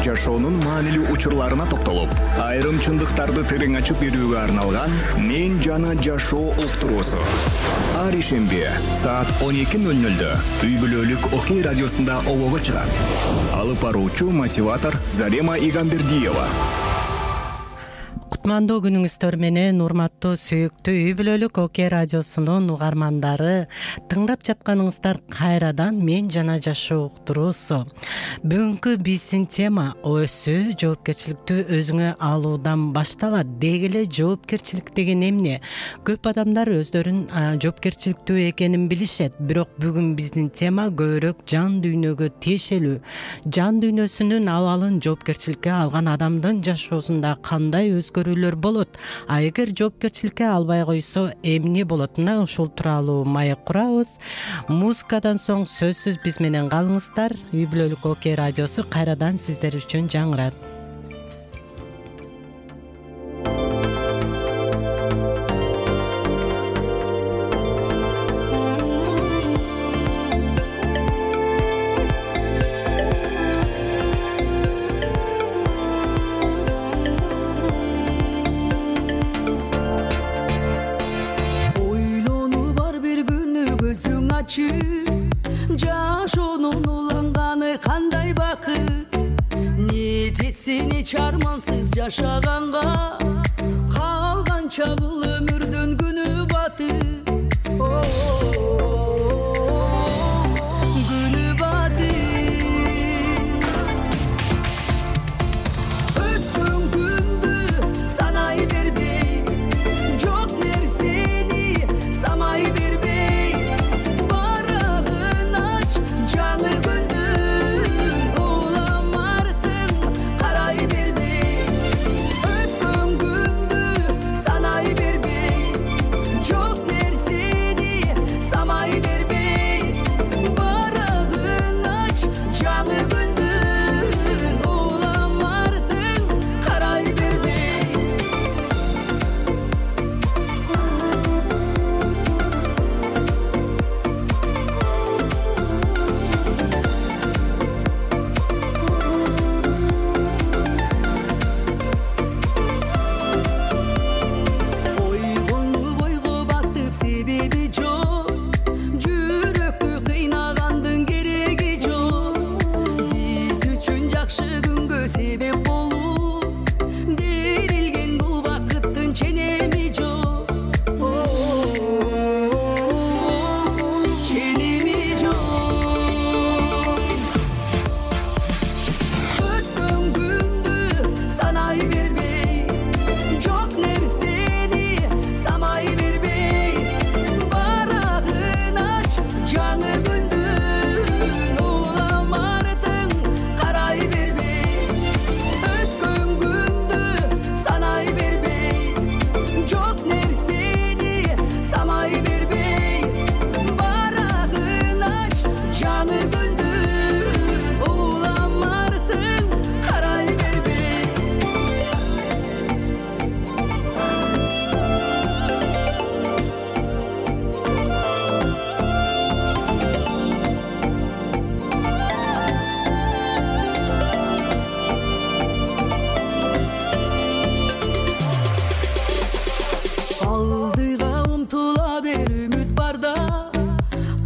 жашоонун маанилүү учурларына токтолуп, айрым чындыктарды терең ачып берүүгө арналган «Мен жана жашоо» уктуруусу. Ар ишемби саат 12:00 үй бүлөлүк Окей радиосунда обого чыгат. Алып баруучу мотиватор Зарема Игамбердиева. Кутмандуу күнүңүздөр менен урматтуу сүйүктүү үй бүлөлүк Окей радиосунун угармандары, тыңдап жатканыңыздар кайрадан «Мен жана жашоо» уктуруусу. Бүгүнкү биздин тема өсүү жоопкерчиликтүү өзүңө алуудан башталат. Деги эле жоопкерчилик деген эмне? Көп адамдар өздөрүн жоопкерчиликтүү экенин билишет, бирок бүгүн биздин тема көбүрөөк жан дүйнөгө тиешелүү. Жан дүйнөсүнүн абалын жоопкерчиликке алган адамдын жашоосунда кандай өзгөрүүлөр болот? А эгер жоопкерчиликке албай койсо эмне болот? Мына ушул тууралуу маек курабыз. Музыкадан соң сөзсүз биз менен калыңыздар. Үй бүлөлүк Окей радиосу кайрадан сиздер үчүн жаңырат. Жашоонун уланганы кандай бакыт, не жетсин эч армансыз жашаганга, калганча бул өмүрдөн күнү батып, күнү батып. Өткөн күндү санай бербей, жок нерсени самай бербей, жаңы күндүн улам артың карай бербей. Өткөн күндү санай бербей, жок нерсени самай бербей. Барагын ач, жаңы күндүн улам артың карай бербей. Себеп болуп берилген бул бакыттын ченеми жок, ченеми жок. Өткөн күндү санай бербей, жок нерсени самай бербей. Барагын ач, жаңы күндүн улам артың карай бербей. Өткөн күндү санай бербей, жок нерсени самай бербей. Барагын ач, жаңы күндүн улам артың карай бербей. Алдыга умтула бер, үмүт барда,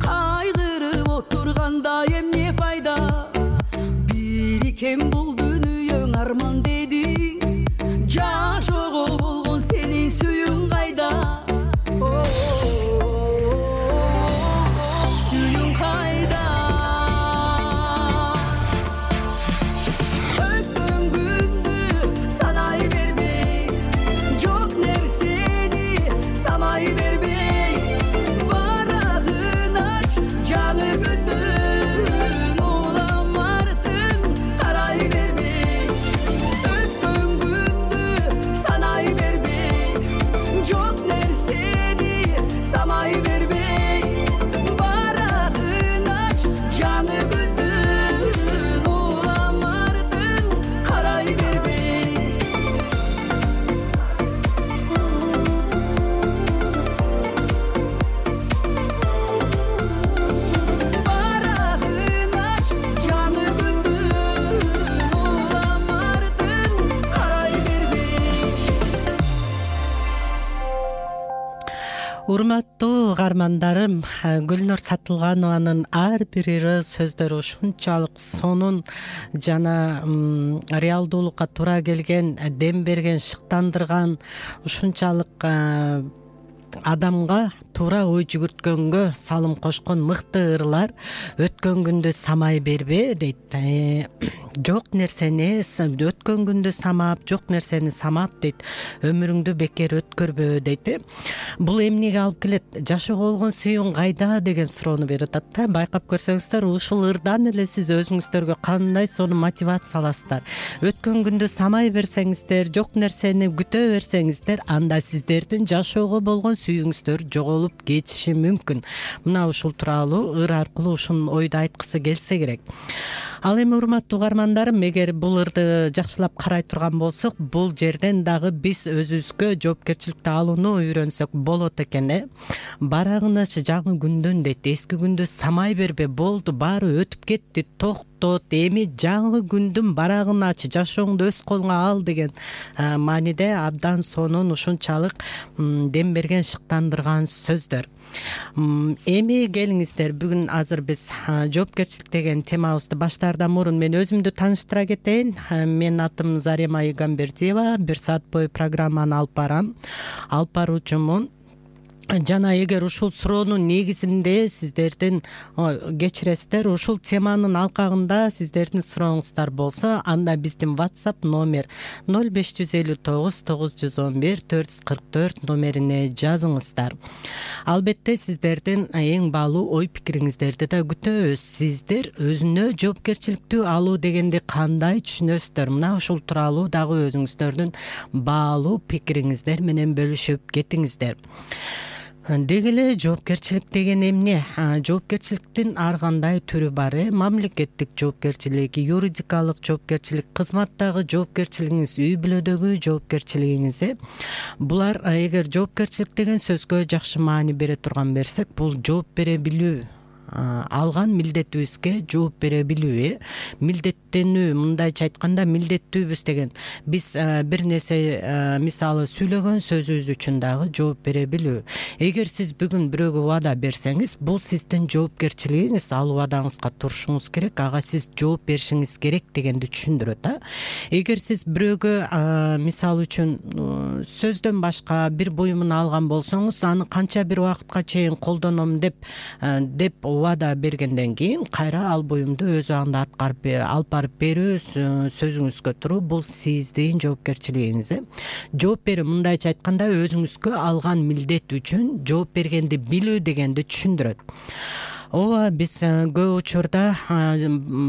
кайгырып отурганда эмне пайда? Бирикен бул дүнүйөң арман деди, жашоого болгон сенин сүйүң кайда? Сүйүң кайда? Өткөн күндү санай бербей, жок нерсени самай бербей. Барагын ач, жаңы күндүн улам артың карай бербей. Урматтуу угармандарым, Гүлнур Сатылганованын ар бир сөздөрү ушунчалык сонун жана реалдуулукка туура келген, дем берген, шыктандырган, ушунчалык адамга туура ой жүгүрткөнгө салым кошкон мыкты ырлар. Өткөн күндү самай бербе дейт. Жок нерсени өткөн күндү самап, жок нерсени самап дейт. Өмүрүңдү бекер өткөрбө дейт. Бул эмнеге алып келет? Жашоого болгон сүйүүң кайда деген суроону берип атат да. Байкап көрсөңүздөр, ушул ырдан эле сиз өзүңүздөргө кандай сонун мотивация аласыздар. Өткөн күндү самай берсеңиздер, жок нерсени күтө берсеңиздер, анда сиздердин жашоого болгон сүйүүңүздөр жоголуп кетиши мүмкүн. Мына ушул тууралуу ыр аркылуу ушун ойду айткысы келсе керек. Ал эми урматтуу угармандарым, эгер бул ырды жакшылап карай турган болсок, бул жерден дагы биз өзүбүзгө жоопкерчиликти алууну үйрөнсөк болот экен. Барагыначы жаңы күндүн дейт. Эски күндү самай бербе, болду, баары өтүп кетти, токтот, эми жаңы күндүн барагын ач, жашооңду өз колуңа ал деген мааниде абдан сонун, ушунчалык дем берген, шыктандырган сөздөр. Эми келиңиздер, бүгүн азыр биз жоопкерчилик деген темабызды баштаардан мурун мен өзүмдү тааныштыра кетейин. Менин атым Зарема Игамбердиева, 1 саат бою программаны алып барам. Алып баруучумун. Жана эгер ушул суроонун негизинде сиздердин кечиресиздер, ушул теманын алкагында сиздердин сурооңуздар болсо, анда биздин WhatsApp номер 0559 911 444 номерине жазыңыздар. Албетте сиздердин эң баалуу ой пикириңиздерди да күтөбүз. Сиздер өзүнө жоопкерчиликтүү алуу дегенди кандай түшүнөсүздөр? Мына ушул тууралуу дагы өзүңүздөрдүн баалуу пикириңиздер менен бөлүшүп кетиңиздер. Деги эле жоопкерчилик деген эмне? Жоопкерчиликтин ар кандай түрү бар. Мамлекеттик жоопкерчилик, юридикалык жоопкерчилик, кызматтагы жоопкерчилигиңиз, үй бүлөдөгү жоопкерчилигиңиз. Булар, эгер жоопкерчилик деген сөзгө жакшы маани бере турган берсек, бул жооп бере билүү, алган милдетибизге жооп бере билүү. Милдеттенүү, мындайча айтканда милдеттүүбүз деген биз бир нерсе мисалы сүйлөгөн сөзүбүз үчүн дагы жооп бере билүү. Эгер сиз бүгүн бирөөгө убада берсеңиз, бул сиздин жоопкерчилигиңиз, ал убадаңызга турушуңуз керек, ага сиз жооп беришиңиз керек дегенди түшүндүрөт. Эгер сиз бирөөгө мисалы үчүн сөздөн башка бир буюмун алган болсоңуз, аны канча бир убакытка чейин колдоном деп убада бергенден кийин кайра ал буюмду өз убагында алып барып берүү, сөзүңүзгө туруу, бул сиздин жоопкерчилигиңиз. Жооп берүү, мындайча айтканда, өзүңүзгө алган милдет үчүн жооп бергенди билүү дегенди түшүндүрөт. Ооба, биз көп учурда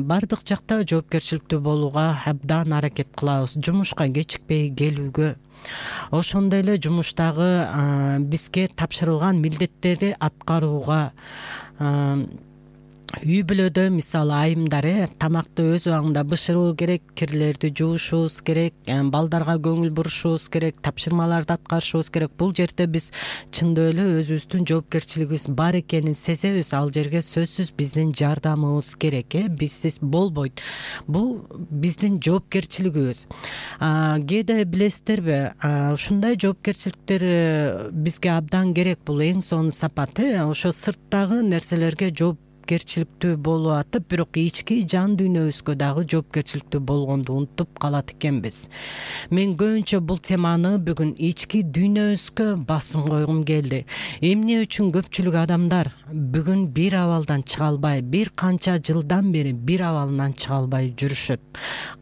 бардык жакта жоопкерчиликтүү болууга абдан аракет кылабыз. Жумушка кечикпей келүүгө, ошондой эле жумуштагы бизге тапшырылган милдеттерди аткарууга, үй бүлөдө мисалы айымдар тамакты өз убагында бышыруу керек, кирлерди жуушубуз керек, балдарга көңүл бурушубуз керек, тапшырмаларды аткарышыбыз керек. Бул жерде биз чындап эле өзүбүздүн жоопкерчилигибиз бар экенин сезебиз. Ал жерге сөзсүз биздин жардамыбыз керек. Бизсиз болбойт. Бул биздин жоопкерчилигибиз. Кээде билесиздерби, ушундай жоопкерчиликтер бизге абдан керек. Бул эң сонун сапат. Ошо сырттагы нерселерге жоопкерчиликтүү болуп атып, бирок ички жан дүйнөбүзгө дагы жоопкерчиликтүү болгонду унутуп калат экенбиз. Мен көбүнчө бул теманы бүгүн ички дүйнөбүзгө басым койгум келди. Эмне үчүн көпчүлүк адамдар бүгүн бир абалдан чыга албай, бир канча жылдан бери бир абалынан чыга албай жүрүшөт?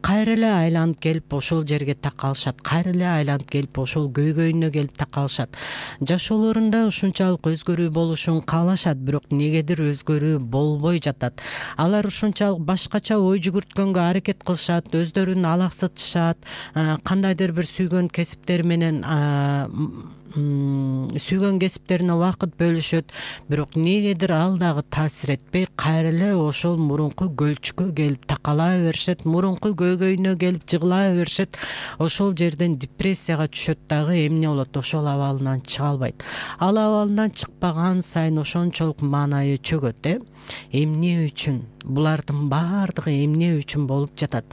Кайра эле айланып келип ошол жерге такалышат, кайра эле айланып келип ошол көйгөйүнө келип такалышат. Жашоолорунда ушунчалык өзгөрүү болушун каалашат, бирок негедир өзгөрүү болбой жатат. Алар ушунчалык башкача ой жүгүрткөнгө аракет кылышат, өздөрүн алаксытышат, кандайдыр бир сүйгөн кесиптери менен сүйгөн кесиптерине убакыт бөлүшөт, бирок негедир ал дагы таасир этпей, кайра эле ошол мурунку көлчүккө келип такала беришет, мурунку көйгөйүнө келип жыгыла беришет. Ошол жерден депрессияга түшөт дагы, эмне болот? Ошол абалынан чыга албайт. Ал абалынан чыкпаган сайын ошончолук маанайы чөгөт. Эмне үчүн? Булардын баардыгы эмне үчүн болуп жатат?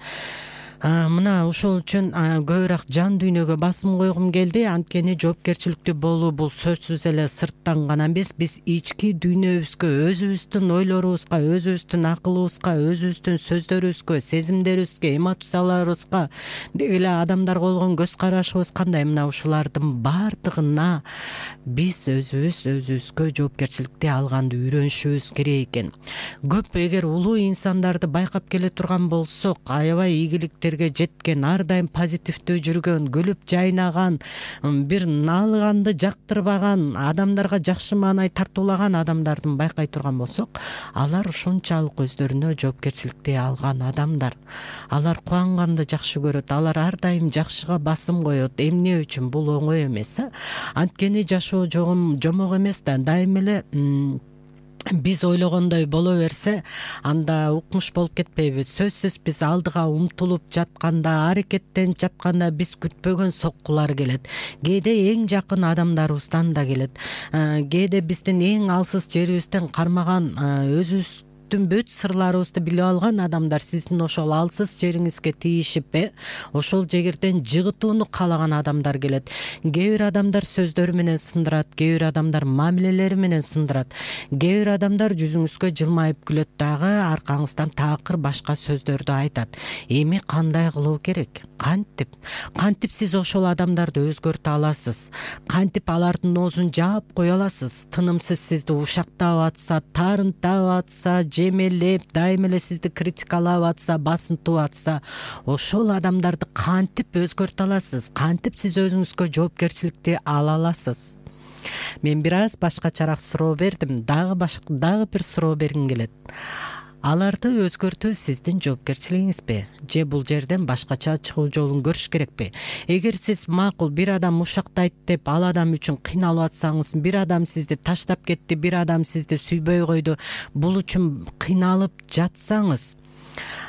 Мына ошол үчүн көбүрөөк жан дүйнөгө басым койгум келди. Анткени жоопкерчиликтүү болуу бул сөзсүз эле сырттан гана эмес, биз ички дүйнөбүзгө, өзүбүздүн ойлорубузга, өзүбүздүн акылыбызга, өзүбүздүн сөздөрүбүзгө, сезимдерибизге, эмоцияларыбызга, деги эле адамдарга болгон көз карашыбыз кандай, мына ушулардын баардыгына биз өзүбүзгө жоопкерчиликти алганды үйрөнүшүбүз керек экен. Көп эгер улуу инсандарды байкап келе турган болсок, аябай ийгиликтерге жеткен, ар дайым позитивдүү жүргөн, күлүп жайнаган, бир наалыганды жактырбаган, адамдарга жакшы маанай тартуулаган адамдардын байкай турган болсок, алар ушунчалык өздөрүнө жоопкерчиликти алган адамдар. Алар кубанганды жакшы көрөт, алар ар дайым жакшыга басым коет. Эмне үчүн? Бул оңой эмес. Анткени жашоо жомок эмес да, дайым эле биз ойлогондой боло берсе, анда укмуш болуп кетпейбиз. Сөзсүз биз алдыга умтулуп жатканда, аракеттенип жатканда биз күтпөгөн соккулар келет. Кээде эң жакын адамдарыбыздан да келет. Кээде биздин эң алсыз жерибизден кармаган, өзүбүздүн бүт сырларыбызды билип алган адамдар сиздин ошол алсыз жериңизге тийишип, ошол жегерден жыгытууну каалаган адамдар келет. Кээ бир адамдар сөздөрү менен сындырат, кээ бир адамдар мамилелери менен сындырат, кээ бир адамдар жүзүңүзгө жылмайып күлөт дагы, аркаңыздан такыр башка сөздөрдү айтат. Эми кандай кылуу керек? Кантип сиз ошол адамдарды өзгөртө аласыз? Кантип алардын оозун жаап кое аласыз? Тынымсыз сизди ушактап атса, тарынтап атса, жемелеп, дайым эле сизди критикалап атса, басынтып атса, ошол адамдарды кантип өзгөртө аласыз? Кантип сиз өзүңүзгө жоопкерчиликти ала аласыз? Мен бир аз башкачараак суроо бердим, дагы бир суроо бергим келет. Аларды өзгөртүү сиздин жоопкерчилигиңизби? Же бул жерден башкача чыгуу жолун көрүш керекпи? Эгер сиз макул бир адам ушактайт деп ал адам үчүн кыйналып атсаңыз, бир адам сизди таштап кетти, бир адам сизди сүйбөй койду, бул үчүн кыйналып жатсаңыз,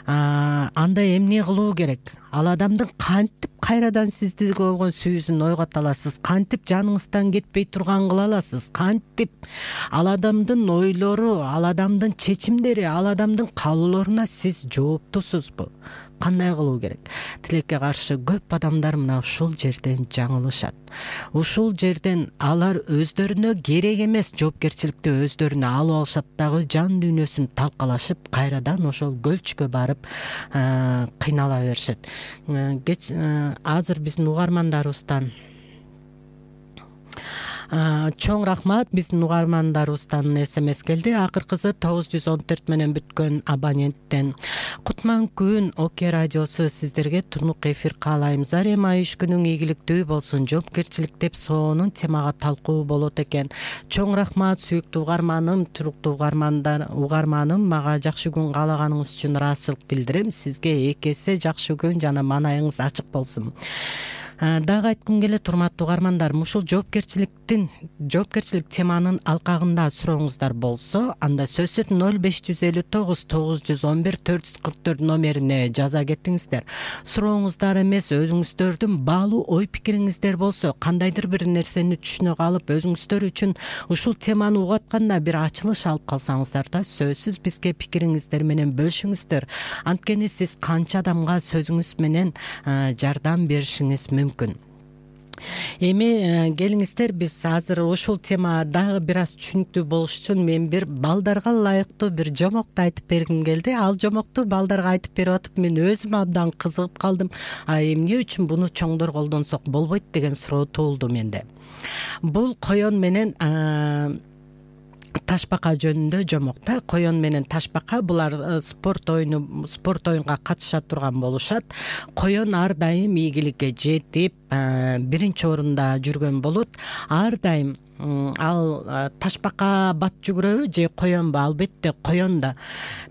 анда эмне кылуу керек? Ал адамдын кантип кайрадан сиздиге болгон сүйүүсүн ойгото аласыз? Кантип жаныңыздан кетпей турган кыла аласыз? Кантип ал адамдын ойлору, ал адамдын чечимдери, ал адамдын каалоолоруна сиз жооптусузбу? Кандай кылуу керек? Тилекке каршы көп адамдар мына ушул жерден жаңылышат. Ушул жерден алар өздөрүнө керек эмес жоопкерчиликти өздөрүнө алып алышат дагы, жан дүйнөсүн талкалашып, кайрадан ошол көлчкө барып кыйнала беришет. Азыр биздин угармандарыбыздан чоң рахмат, биздин угармандарыбыздан СМС келди. Акыркысы 914 менен бүткөн абоненттен. Кутман күн ОК радиосу сиздерге тунук эфир каалайм. Зарема иш күнүң ийгиликтүү болсун. Жоопкерчилик деп сонун темага талкуу болот экен. Чоң рахмат сүйүктүү угарманым, туруктуу угарманым, мага жакшы күн каалаганыңыз үчүн ыраазычылык билдирем. Сизге эки эсе жакшы күн жана маанайыңыз ачык болсун. Дагы айткым келет, урматтуу угармандар, ушул жоопкерчилик теманын алкагында сурооңуздар болсо, анда сөзсүз 0559 911 444 номерине жаза кетиңиздер. Сурооңуздар эмес, өзүңүздөрдүн баалуу ой пикириңиздер болсо, кандайдыр бир нерсени түшүнө калып, өзүңүздөр үчүн ушул теманы угатканда бир ачылыш алып калсаңыздар да, сөзсүз бизге пикириңиздер менен бөлүшүңүздөр. Анткени сиз канча адамга сөзүңүз менен жардам беришиңиз мүмкүн. Эми келиңиздер, биз азыр ушул тема дагы бир аз түшүнүктүү болуш үчүн мен бир балдарга ылайыктуу бир жомокту айтып бергим келди. Ал жомокту балдарга айтып берип атып, мен өзүм абдан кызыгып калдым. Эмне үчүн буну чоңдор колдонсок болбойт деген суроо туулду менде. Бул коен менен ташбака жөнүндө жомокта. Коен менен ташбака булар спорт оюнга катыша турган болушат. Коен ар дайым ийгиликке жетип, биринчи орунда жүргөн болот. Ар дайым ал ташбака бат жүгүрөбү же коенбу? Албетте коен да.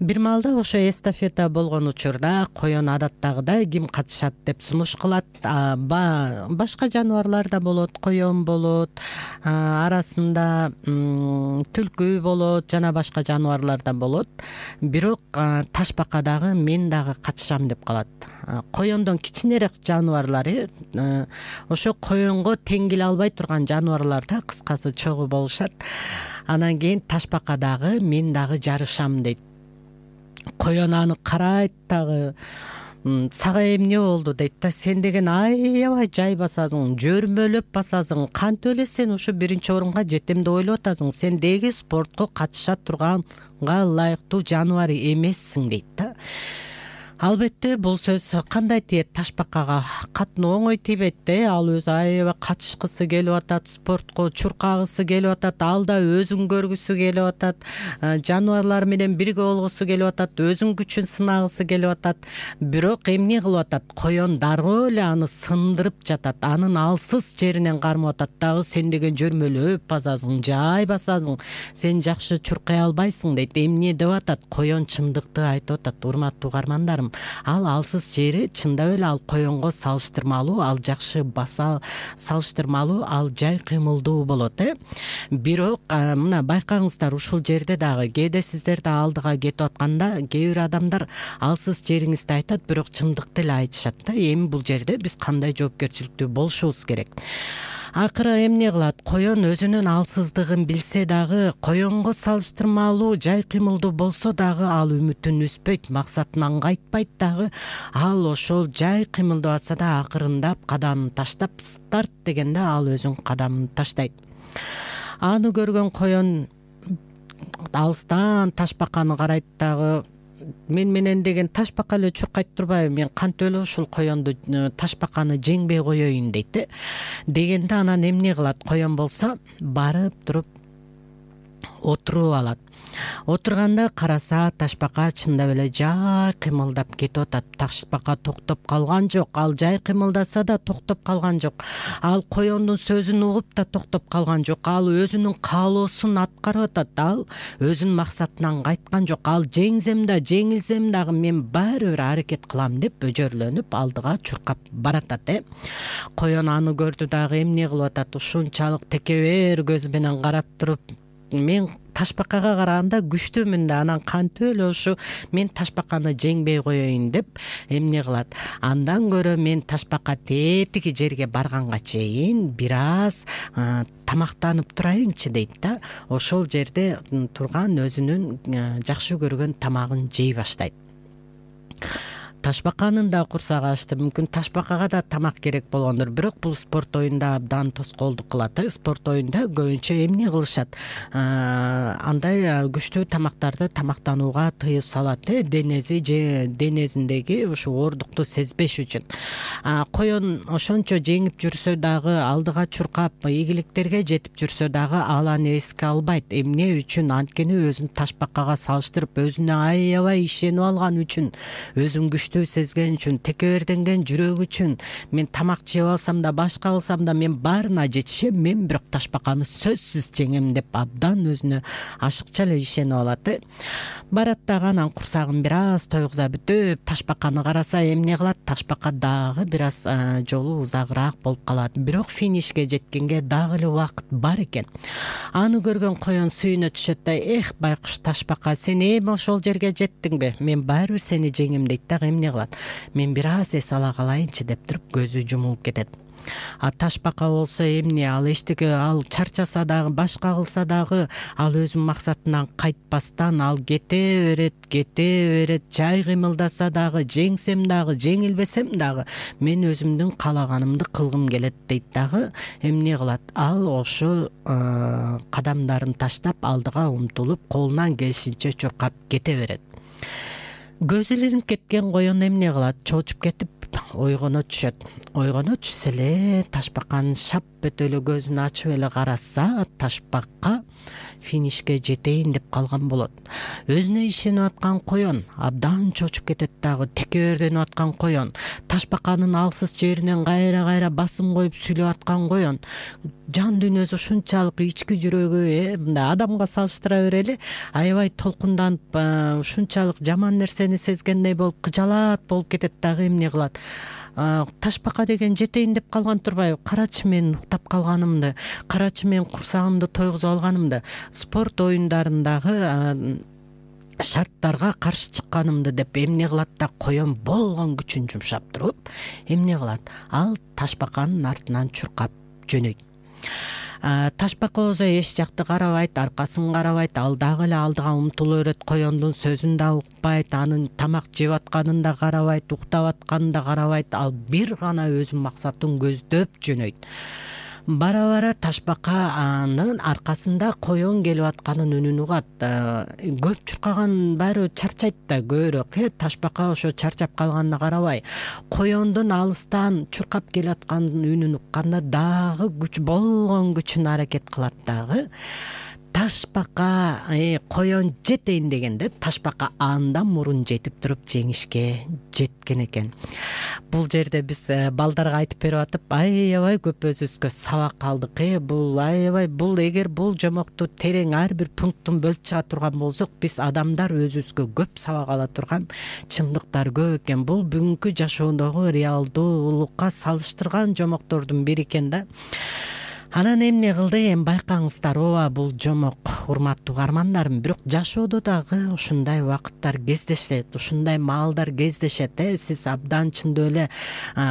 Бир маалда ошо эстафета болгон учурда коен адаттагыдай ким катышат деп сунуш кылат. Башка жаныбарлар да болот, коен болот, арасында түлкү болот, жана башка жаныбарлар да болот. Бирок ташбака дагы мен дагы катышам деп калат. Коендон кичинерээк жаныбарлар, ошо коенго тең келе албай турган жаныбарлар да кыскасы чогуу болушат. Анан кийин ташбака дагы мен дагы жарышам дейт. Коен аны карайт дагы, сага эмне болду дейт да. Сен деген аябай жай басасың, жөрмөлөп басасың, кантип эле сен ушу биринчи орунга жетем деп ойлоп атасың, сен деги спортко катыша турганга ылайыктуу жаныбар эмессиң дейт да. Албетте бул сөз кандай тиет ташбакага? Катуу оңой тийбейт да. Ал өзү аябай катышкысы келип атат, спортко чуркагысы келип атат, ал да өзүн көргүсү келип атат, жаныбарлар менен бирге болгусу келип атат, өзүнүн күчүн сынагысы келип атат. Бирок эмне кылып атат? Коен дароо эле аны сындырып жатат, анын алсыз жеринен кармап атат дагы. Сен деген жөрмөлөп басасың, жай басасың, сен жакшы чуркай албайсың дейт. Эмне деп атат? Коен чындыкты айтып атат, урматтуу угармандарым. Ал алсыз жери чындап эле ал коенго салыштырмалуу, ал жакшы баса, салыштырмалуу ал жай кыймылдуу болот. Бирок мына байкаңыздар, ушул жерде дагы кээде сиздер да алдыга кетип атканда кээ бир адамдар алсыз жериңизди айтат, бирок чындыкты эле айтышат да. Эми бул жерде биз кандай жоопкерчиликтүү болушубуз керек? Акыры эмне кылат? Коен өзүнүн алсыздыгын билсе дагы, коенго салыштырмалуу жай кыймылдуу болсо дагы ал үмүтүн үзбөйт, максатынан кайтпайт дагы. Ал ошол жай кыймылдап атса да акырындап кадамын таштап, старт дегенде ал өзүнүн кадамын таштайт. Аны көргөн коен алыстан ташбаканы карайт дагы. Мен менен деген ташбака эле чуркайт турбайбы, мен кантип эле ушул коенду ташбаканы жеңбей коеюн дейт. Дегенде анан эмне кылат? Коен болсо барып туруп отуруп алат. Отурганда караса ташбака чындап эле жай кыймылдап кетип атат. Ташбака токтоп калган жок, ал жай кыймылдаса да токтоп калган жок. Ал коендун сөзүн угуп да токтоп калган жок. Ал өзүнүн каалоосун аткарып атат. Ал өзүнүн максатынан кайткан жок. Ал жеңсем да, жеңилсем дагы мен баары бир аракет кылам деп өжөрлөнүп алдыга чуркап баратат. Коен аны көрдү дагы эмне кылып атат? Ушунчалык текебер көз менен карап туруп, мен ташбакага караганда күчтүүмүн да, анан кантип эле ушу мен ташбаканы жеңбей коеюн деп эмне кылат? Андан көрө мен ташбака тетиги жерге барганга чейин бир аз тамактанып турайынчы дейт да. Ошол жерде турган өзүнүн жакшы көргөн тамагын жей баштайт. Ташбаканын да курсагы ачты, мүмкүн ташбакага да тамак керек болгондур, бирок бул спорт оюнда абдан тоскоолдук кылат. Спорт оюнда көбүнчө эмне кылышат? Андай күчтүү тамактарды тамактанууга тыюу салат, денесиндеги ушу оордукту сезбеш үчүн. Коен ошончо жеңип жүрсө дагы, алдыга чуркап, ийгиликтерге жетип жүрсө дагы ал аны эске албайт. Эмне үчүн? Анткени өзүн ташбакага салыштырып, өзүнө аябай ишенип алган үчүн, өзүн күчтүү сезген үчүн, текеберденген жүрөк үчүн, мен тамак жеп алсам да, башка кылсам да мен баарына жетишем, мен бирок ташбаканы сөзсүз жеңем деп абдан өзүнө ашыкча эле ишенип алат. Барат дагы анан курсагын бир аз тойгуза бүтүп, ташбаканы караса эмне кылат? Ташбака дагы бир аз жолу узагыраак болуп калат. Бирок финишке жеткенге дагы эле убакыт бар экен. Аны көргөн коен сүйүнө түшөт да, байкуш ташбака, сен эми ошол жерге жеттиңби? Мен баары сени жеңем дейт да. Эмне кылат? Мен бир аз эс ала калайынчы деп туруп көзү жумулуп кетет. Ташбака болсо эмне? Ал эчтеке, ал чарчаса дагы, башка кылса дагы, ал өзүнүн максатынан кайтпастан ал кете берет, жай кыймылдаса дагы, жеңсем дагы, жеңилбесем дагы мен өзүмдүн каалаганымды кылгым келет дейт дагы. Эмне кылат? Ал ошо кадамдарын таштап алдыга умтулуп, колунан келишинче чуркап кете берет. Көзү илинип кеткен коен эмне кылат? Чоочуп кетип ойгоно түшөт. Ойгоно түшсө эле ташбаканын шап бөтө эле көзүн ачып эле караса, ташбака финишке жетейин деп калган болот. Өзүнө ишенип аткан коен абдан чоочуп кетет дагы, текеберденип аткан коен, ташбаканын алсыз жеринен кайра басым коюп сүйлөп аткан коен, жан дүйнөсү ушунчалык, ички жүрөгү мындай адамга салыштыра берели, аябай толкунданып, ушунчалык жаман нерсени сезгендей болуп, кыжалаат болуп кетет дагы. Эмне кылат? Ташбака деген жетейин деп калган турбайбы? Карачы мен уктап калганымды, карачы мен курсагымды тойгузуп алганымды, спорт оюндарындагы шарттарга каршы чыкканымды деп эмне кылат да, коен болгон күчүн жумшап туруп эмне кылат? Ал ташбаканын артынан чуркап жөнөйт. Ташбака болсо эч жакты карабайт, аркасын карабайт, ал дагы эле алдыга умтула берет, коёндун сөзүн да укпайт, анын тамак жеп атканын да карабайт, уктап атканын да карабайт, ал бир гана өзүнүн максатын көздөп жөнөйт. Бара ташбаканын аркасында коён келип атканын үнүн угат. Көп чуркаган баары чарчайт да, көбүрөөк. Ташбака ошо чарчап калганына карабай, коёндун алыстан чуркап келатканын үнүн укканда дагы күч болгон күчүн аракет кылат дагы. Ташбака коён жетейин дегенде ташбака андан мурун жетип туруп жеңишке жеткен экен. Бул жерде биз балдарга айтып берип атып, аябай көп өзүбүзгө сабак алдык. Бул аябай, бул эгер бул жомокту терең ар бир пункттун бөлүп чыга турган болсок, биз адамдар өзүбүзгө көп сабак ала турган чындыктар көп экен. Бул бүгүнкү жашоодогу реалдуулукка салыштырган жомоктордун бири экен да. Анан эмне кылды, эми байкаңыздар, ооба бул жомок, урматтуу угармандарым. Бирок жашоодо дагы ушундай убакыттар кездешет, ушундай маалдар кездешет. Сиз абдан чындап эле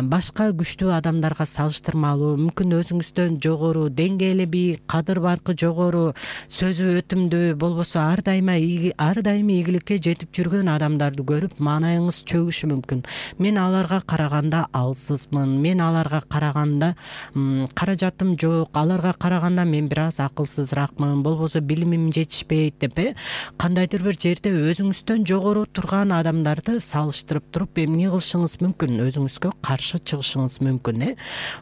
башка күчтүү адамдарга салыштырмалуу, мүмкүн өзүңүздөн жогору, деңгээли бийик, кадыр баркы жогору, сөзү өтүмдүү, болбосо ар дайыма ийгиликке жетип жүргөн адамдарды көрүп маанайыңыз чөгүшү мүмкүн. Мен аларга караганда алсызмын, мен аларга караганда каражатым жок, аларга караганда мен бир аз акылсызраакмын, болбосо билимим жетишпейт деп, кандайдыр бир жерде өзүңүздөн жогору турган адамдарды салыштырып туруп эмне кылышыңыз мүмкүн, өзүңүзгө каршы чыгышыңыз мүмкүн.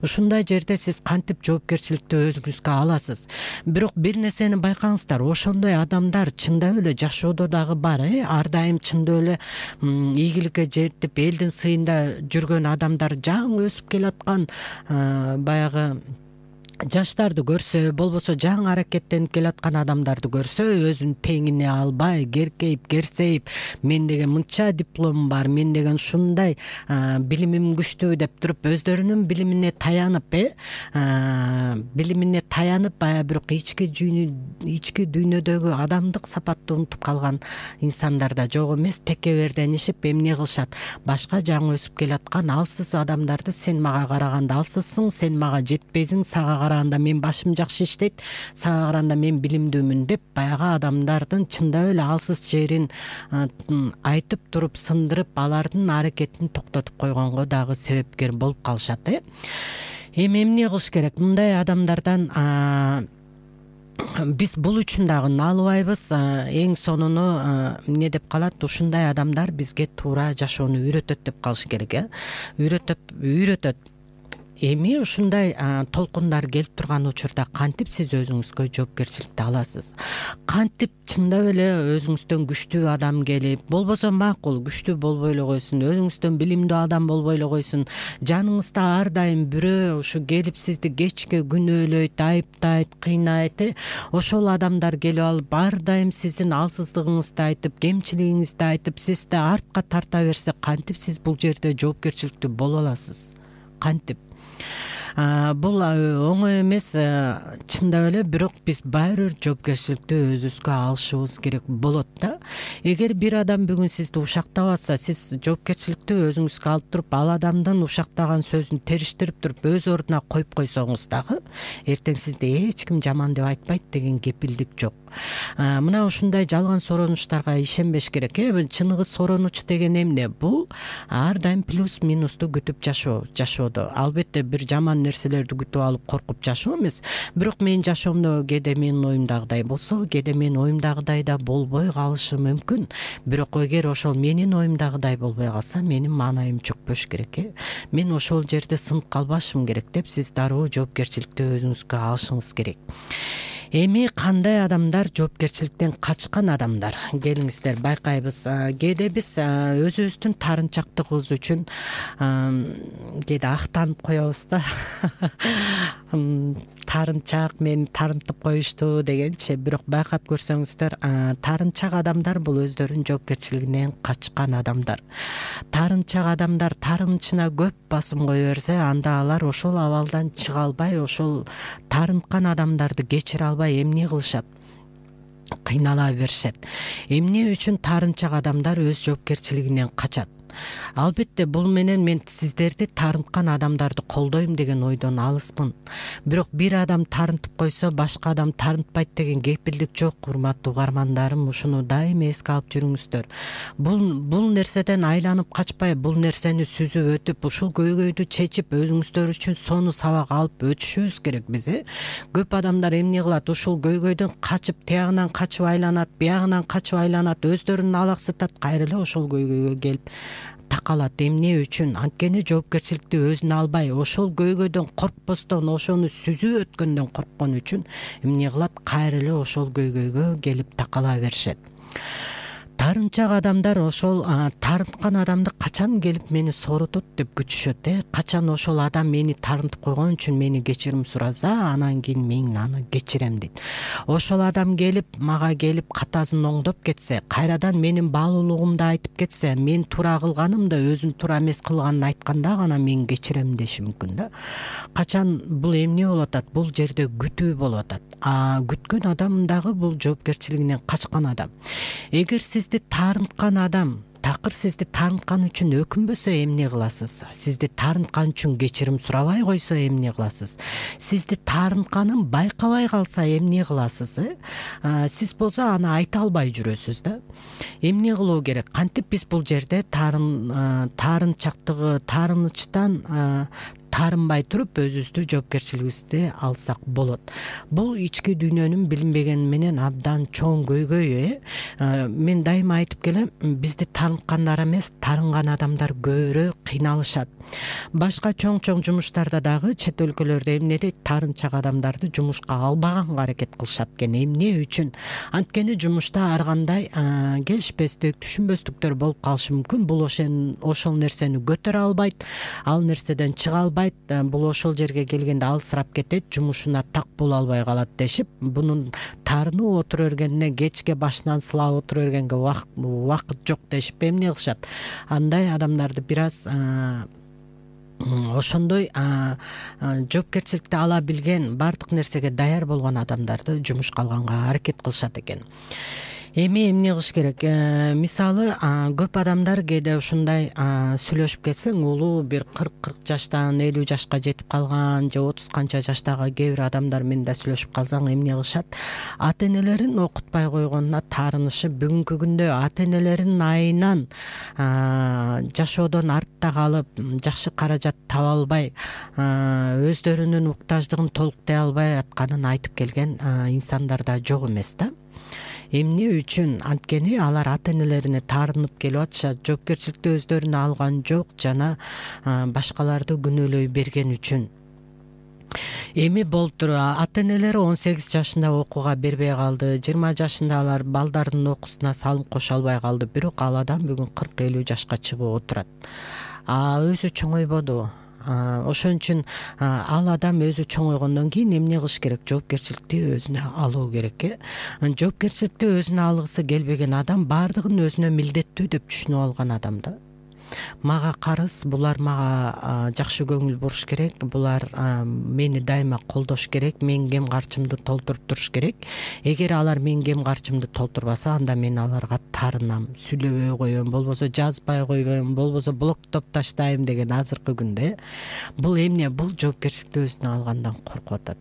Ушундай жерде сиз кантип жоопкерчиликти өзүңүзгө аласыз? Бирок бир нерсени байкаңыздар, ошондой адамдар чындап эле жашоодо дагы бар. Ар дайым чындап эле ийгиликке жетип элдин сыйында жүргөн адамдар, жаңы өсүп келаткан баягы жаштарды көрсө, болбосо жаңы аракеттенип келаткан адамдарды көрсө, өзүн теңине албай, керкейип, керсейип, мен деген мынча дипломум бар, мен деген ушундай билимим күчтүү деп туруп, өздөрүнүн билимине таянып, бирок ички дүйнөдөгү адамдык сапатты унутуп калган инсандар да жок эмес. Текеберденишип эмне кылышат? Башка жаңы өсүп келаткан алсыз адамдарды, сен мага караганда алсызсың, сен мага жетпейсиң, сага караганда мен башым жакшы иштейт, сага караганда мен билимдүүмүн деп, баягы адамдардын чындап эле алсыз жерин айтып туруп, сындырып, алардын аракетин токтотуп койгонго дагы себепкер болуп калышат. Эми эмне кылыш керек? Мындай адамдардан биз бул үчүн дагы налыбайбыз. Эң сонуну эмне деп калат? Ушундай адамдар бизге туура жашоону үйрөтөт деп калыш керек. Үйрөтөт. Эми ушундай толкундар келип турган учурда кантип сиз өзүңүзгө жоопкерчиликти аласыз? Кантип чындап эле өзүңүздөн күчтүү адам келип, болбосо макул күчтүү болбой эле койсун, өзүңүздөн билимдүү адам болбой эле койсун, жаныңызда ар дайым бирөө ушу келип сизди кечке күнөөлөйт, айыптайт, кыйнайт, ошол адамдар келип алып ар дайым сиздин алсыздыгыңызды айтып, кемчилигиңизди айтып, сизди артка тарта берсе, кантип сиз бул жерде жоопкерчиликтүү боло аласыз? Кантип? Бул оңой эмес, чындап эле, бирок биз баары бир жоопкерчиликти өзүбүзгө алышыбыз керек болот да. Эгер бир адам бүгүн сизди ушактап атса, сиз жоопкерчиликти өзүңүзгө алып туруп, ал адамдын ушактаган сөзүн териштирип туруп, өз ордуна коюп койсоңуз дагы, эртең сизди эч ким жаман деп айтпайт деген кепилдик жок. Мына ушундай жалган соронуштарга ишенбеш керек. Чыныгы соронуч деген эмне? Бул ар дайым плюс минусту күтүп жашоодо. Албетте бир жаман нерселерди күтүп алып коркуп жашоо эмес, бирок менин жашоомдо кээде менин оюмдагыдай болсо, кээде менин оюмдагыдай да болбой калышы мүмкүн. Бирок эгер ошол менин оюмдагыдай болбой калса, менин маанайым чөкпөш керек. Мен ошол жерде сынып калбашым керек деп, сиз дароо жоопкерчиликти өзүңүзгө алышыңыз керек. Эми кандай адамдар жоопкерчиликтен качкан адамдар? Келиңиздер байкайбыз. Кээде биз өзүбүздүн тарынчактыгыбыз үчүн кээде актанып коебуз да. Тарынчак, мени тарынтып коюшту дегенчи. Бирок байкап көрсөңүздөр, тарынчак адамдар бул өздөрүнүн жоопкерчилигинен качкан адамдар. Тарынчак адамдар тарынычына көп басым кое берсе, анда алар ошол абалдан чыга албай, ошол тарынткан адамдарды кечире албай эмне кылышат? Кыйнала беришет. Эмне үчүн тарынчак адамдар өз жоопкерчилигинен качат? Албетте бул менен мен сиздерди таарынткан адамдарды колдойм деген ойдон алыспын. Бирок бир адам таарынтып койсо башка адам таарынтпайт деген кепилдик жок, урматтуу угармандарым. Ушуну дайыма эске алып жүрүңүздөр. Бул нерседен айланып качпай, бул нерсени сүзүп өтүп, ушул көйгөйдү чечип, өзүңүздөр үчүн сону сабак алып өтүшүбүз керек биз. Көп адамдар эмне кылат? Ушул көйгөйдөн качып, тиягынан качып айланат, биягынан качып айланат, өздөрүн алаксытат, кайра эле ошол көйгөйгө келип такалат. Эмне үчүн? Анткени жоопкерчиликти өзүнө албай, ошол көйгөйдөн коркпостон, ошону сүзүп өткөндөн корккон үчүн эмне кылат? Кайра эле ошол көйгөйгө келип такала беришет. Таарынчак адамдар ошол таарынткан адамды качан келип мени сооротот деп күтүшөт. Качан ошол адам мени таарынтып койгон үчүн мени кечирим сураса, анан кийин мен аны кечирем дейт. Ошол адам мага келип катасын оңдоп кетсе, кайрадан менин баалуулугумду айтып кетсе, мен туура кылганымды, өзүн туура эмес кылганын айтканда гана мен кечирем деши мүмкүн да. Качан бул эмне болуп атат? Бул жерде күтүү болуп атат. Күткөн адам дагы бул жоопкерчилигинен качкан адам. Эгер сизди таарынткан адам такыр сизди таарынткан үчүн өкүнбөсө эмне кыласыз? Сизди таарынткан үчүн кечирим сурабай койсо эмне кыласыз? Сизди таарынтканын байкабай калса эмне кыласыз? Сиз болсо аны айта албай жүрөсүз да. Эмне кылуу керек? Кантип биз бул жерде таарынчактыгы, таарынычтан таарынбай туруп өзүбүздү жоопкерчилигибизди алсак болот. Бул ички дүйнөнүн билинбегени менен абдан чоң көйгөй. Мен дайыма айтып келем, бизди таарынткандар эмес, таарынган адамдар көбүрөөк кыйналышат. Башка чоң жумуштарда дагы чет өлкөлөрдө эмне дейт? Таарынчак адамдарды жумушка албаганга аракет кылышат экен. Эмне үчүн? Анткени жумушта ар кандай келишпестик, түшүнбөстүктөр болуп калышы мүмкүн. Бул ошол нерсени көтөрө албайт, ал нерседен чыга албайт. Бул ошол жерге келгенде алысырап кетет, жумушуна так боло албай калат дешип, бунун таарынып отура бергенине, кечке башынан сылап отура бергенге убакыт жок дешип эмне кылышат? Андай адамдарды бир аз ошондой жоопкерчиликти ала билген, баардык нерсеге даяр болгон адамдарды жумушка алганга аракет кылышат экен. Эми эмне кылыш керек? Мисалы, көп адамдар кээде ушундай сүйлөшүп кетсең, улуу бир 40 жаштан 50 жашка жетип калган же 30 канча жаштагы кээ бир адамдар менен да сүйлөшүп калсаң эмне кылышат? Ата-энелерин окутпай койгонуна таарынышып, бүгүнкү күндө ата-энелеринин айынан жашоодон артта калып, жакшы каражат таба албай, өздөрүнүн муктаждыгын толуктай албай атканын айтып келген инсандар да жок эмес да. Эмне үчүн? Анткени алар ата-энелерине таарынып келип атышат, жоопкерчиликти өздөрүнө алган жок жана башкаларды күнөөлөй берген үчүн. Эми болуптур, ата-энелери 18 жашында окууга бербей калды, 20 жашында алар балдарынын окуусуна салым кошо албай калды, бирок ал адам бүгүн 40-50 жашка чыгып отурат. Өзү чоңойбоду. Ошон үчүн ал адам өзү чоңойгондон кийин эмне кылыш керек? Жоопкерчиликти өзүнө алуу керек. Жоопкерчиликти өзүнө алгысы келбеген адам баардыгын өзүнө милдеттүү деп түшүнүп алган адам да. Мага карыз, булар мага жакшы көңүл буруш керек, булар мени дайыма колдош керек, менин кем карчымды толтуруп туруш керек. Эгер алар менин кем карчымды толтурбаса, анда мен аларга таарынам, сүйлөбөй коем, болбосо жазбай коем, болбосо блоктоп таштайм деген азыркы күндө. Бул эмне? Бул жоопкерчиликти өзүнө алгандан коркуп атат.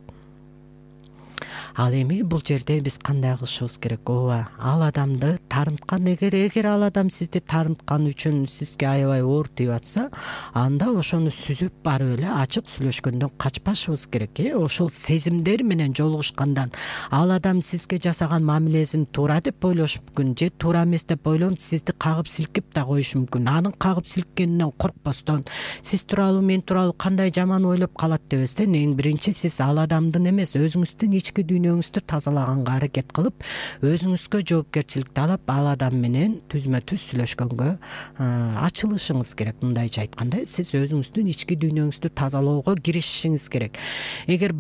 Ал эми бул жерде биз кандай кылышыбыз керек? Ооба, ал адамды таарынткан, эгер ал адам сизди таарынткан үчүн сизге аябай оор тийип атса, анда ошону сүзүп барып эле ачык сүйлөшкөндөн качпашыбыз керек. Ошол сезимдер менен жолугушкандан ал адам сизге жасаган мамилесин туура деп ойлош мүмкүн, же туура эмес деп ойлонуп сизди кагып силкип да коюшу мүмкүн. Анын кагып силккенинен коркпостон, сиз тууралуу, мен тууралуу кандай жаман ойлоп калат дебестен, эң биринчи сиз ал адамдын эмес, өзүңүздүн ички дүйнөңүздү тазалаганга аракет кылып, өзүңүзгө жоопкерчиликти алып, ал адам менен түзмө-түз сүйлөшкөнгө ачылышыңыз керек. Мындайча айтканда, сиз өзүңүздүн ички дүйнөңүздү тазалоого киришишиңиз керек. Эгер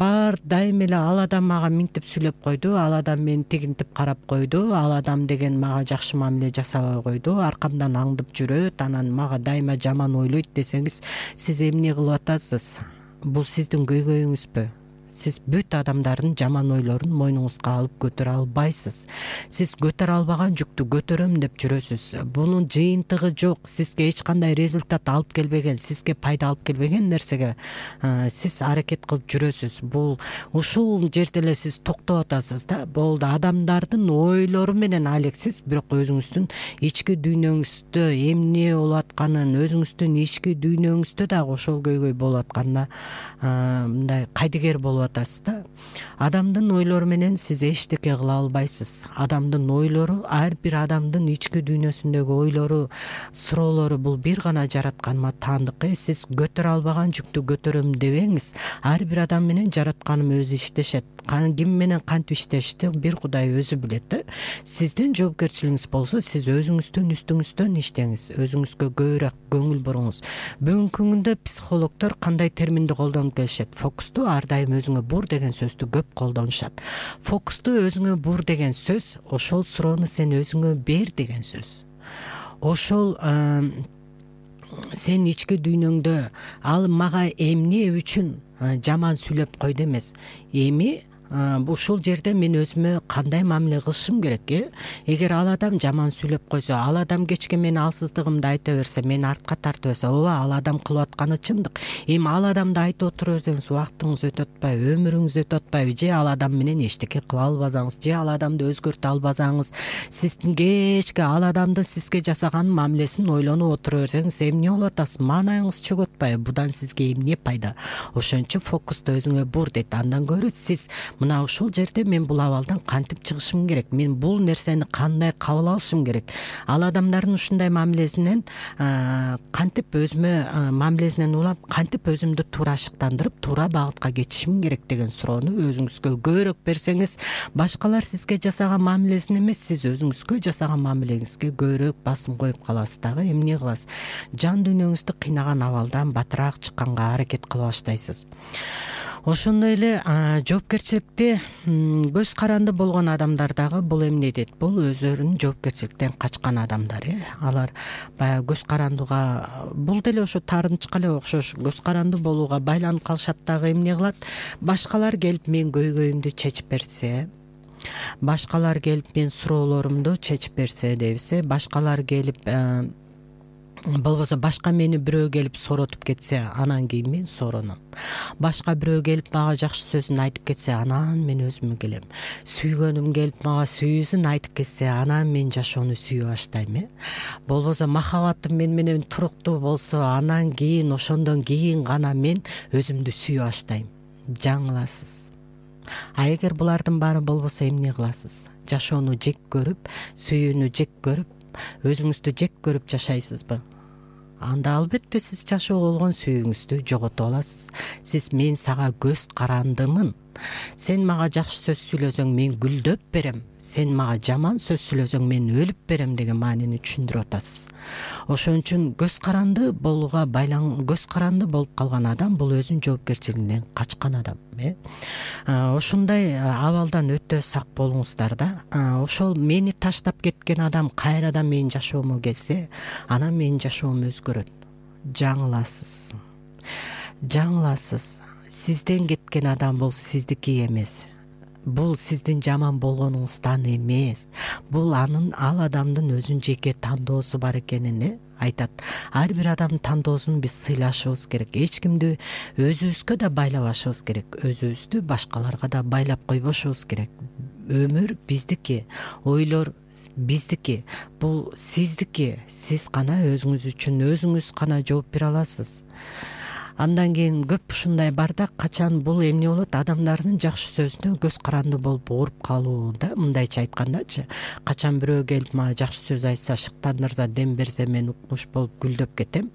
дайыма эле ал адам мага минтип сүйлөп койду, ал адам мени тигинтип карап койду, ал адам деген мага жакшы мамиле жасабай койду, аркамдан аңдып жүрөт, анан мага дайыма жаман ойлойт десеңиз, сиз эмне кылып атасыз? Бул сиздин көйгөйүңүзбү? Сиз бүт адамдардын жаман ойлорун мойнуңузга алып көтөрө албайсыз. Сиз көтөрө албаган жүктү көтөрөм деп жүрөсүз. Бунун жыйынтыгы жок. Сизге эч кандай результат алып келбеген, сизге пайда алып келбеген нерсеге сиз аракет кылып жүрөсүз. Бул ушул жерде эле сиз токтоп атасыз да. Болду, адамдардын ойлору менен алексиз, бирок өзүңүздүн ички дүйнөңүздө эмне болуп атканын, өзүңүздүн ички дүйнөңүздө дагы ошол көйгөй болуп атканына мындай кайдыгер болуп атасыз да. Адамдын ойлору менен сиз эчтеке кыла албайсыз. Адамдын ойлору, ар бир адамдын ички дүйнөсүндөгү ойлору, суроолору бул бир гана жаратканыма таандык. Сиз көтөрө албаган жүктү көтөрөм дебеңиз. Ар бир адам менен жаратканым өзү иштешет. Ким менен кантип иштешти бир Кудай өзү билет. Сиздин жоопкерчилигиңиз болсо, сиз өзүңүздүн үстүңүздөн иштеңиз, өзүңүзгө көбүрөөк көңүл буруңуз. Бүгүнкү күндө психологдор кандай терминди колдонуп келишет? Фокусту ар дайым өзүңө бур деген сөздү көп колдонушат. Фокусту өзүңө бур деген сөз, ошол суроону сен өзүңө бер деген сөз. Ошол сен ички дүйнөңдө ал мага эмне үчүн жаман сүйлөп койду эмес, эми ушул жерде мен өзүмө кандай мамиле кылышым керек? Эгер ал адам жаман сүйлөп койсо, ал адам кечке мен алсыздыгымды айта берсе, мен артка тарта берсе, ооба, ал адам кылып атканы чындык. Эми ал адамды айтып отура берсеңиз, убактыңыз өтүп атпайбы, өмүрүңүз өтүп атпайбы? Же ал адам менен эчтеке кыла албасаңыз, же ал адамды өзгөртө албасаңыз, сиздин кечке ал адамдын сизге жасаган мамилесин ойлонуп отура берсеңиз, эмне болуп атасыз? Маанайыңыз чөгүп атпайбы? Будан сизге эмне пайда? Ошон үчүн фокусту өзүңө бур дейт. Андан көрө сиз мына ушул жерде мен бул абалдан кантип чыгышым керек? Мен бул нерсени кандай кабыл алышым керек? Ал адамдардын ушундай мамилесинен кантип өзүмө мамилесинен улам кантип өзүмдү туура шыктандырып, туура багытка кетишим керек деген суроону өзүңүзгө көбүрөөк берсеңиз, башкалар сизге жасаган мамилесин эмес, сиз өзүңүзгө жасаган мамилеңизге көбүрөөк басым коюп каласыз дагы. Эмне кыласыз? Жан дүйнөңүздү кыйнаган абалдан батыраак чыкканга аракет кыла баштайсыз. Ошондой эле жоопкерчиликти көз каранды болгон адамдар дагы бул эмне дейт? Бул өздөрүнүн жоопкерчиликтен качкан адамдар. Алар баягы көз карандыга, бул деле ошо таарынчка эле окшош, көз каранды болууга байланып калышат дагы. Эмне кылат? Башкалар келип мен көйгөйүмдү чечип берсе, башкалар келип мен суроолорумду чечип берсе дебисе, башкалар келип болбосо башка мени бирөө келип сооротуп кетсе, анан кийин мен соороном. Башка бирөө келип мага жакшы сөзүн айтып кетсе, анан мен өзүмө келем. Сүйгөнүм келип мага сүйүүсүн айтып кетсе, анан мен жашоону сүйө баштайм. Болбосо махабатым мен менен туруктуу болсо, анан кийин ошондон кийин гана мен өзүмдү сүйө баштайм. Жаңыласыз. А эгер булардын баары болбосо эмне кыласыз? Жашоону жек көрүп, сүйүүнү жек көрүп, өзүңүздү жек көрүп жашайсызбы? Анда албетте сиз жашоого болгон сүйүүңүздү жоготуп аласыз. Сиз мен сага көз карандымын. Сен мага жакшы сөз сүйлөсөң мен гүлдөп берем. Сен мага жаман сөз сүйлөсөң мен өлүп берем деген маанини түшүндүрүп атасыз. Ошон үчүн көз каранды болууга көз каранды болуп калган адам бул өзүнүн жоопкерчилигинен качкан адам. Ошондой абалдан өтө сак болуңуздар да. Ошол мени таштап кеткен адам кайрадан менин жашоомо келсе, анан менин жашоом өзгөрөт. Жаңыласыз. Жаңыласыз. Сизден кеткен адам бул сиздики эмес. Бул сиздин жаман болгонуңуздан эмес. Бул ал адамдын өзүнүн жеке тандоосу бар экенин айтат. Ар бир адамдын тандоосун биз сыйлашыбыз керек. Эч кимди өзүбүзгө да байлабашыбыз керек. Өзүбүздү башкаларга да байлап койбошубуз керек. Өмүр биздики, ойлор биздики, бул сиздики. Сиз гана өзүңүз үчүн өзүңүз гана жооп бере аласыз. Андан кийин көп ушундай бар да, качан бул эмне болот? Адамдардын жакшы сөзүнө көз каранды болуп ооруп калуу да, мындайча айткандачы. Качан бирөө келип мага жакшы сөз айтса, шыктандырса, дем берсе, мен укмуш болуп гүлдөп кетем.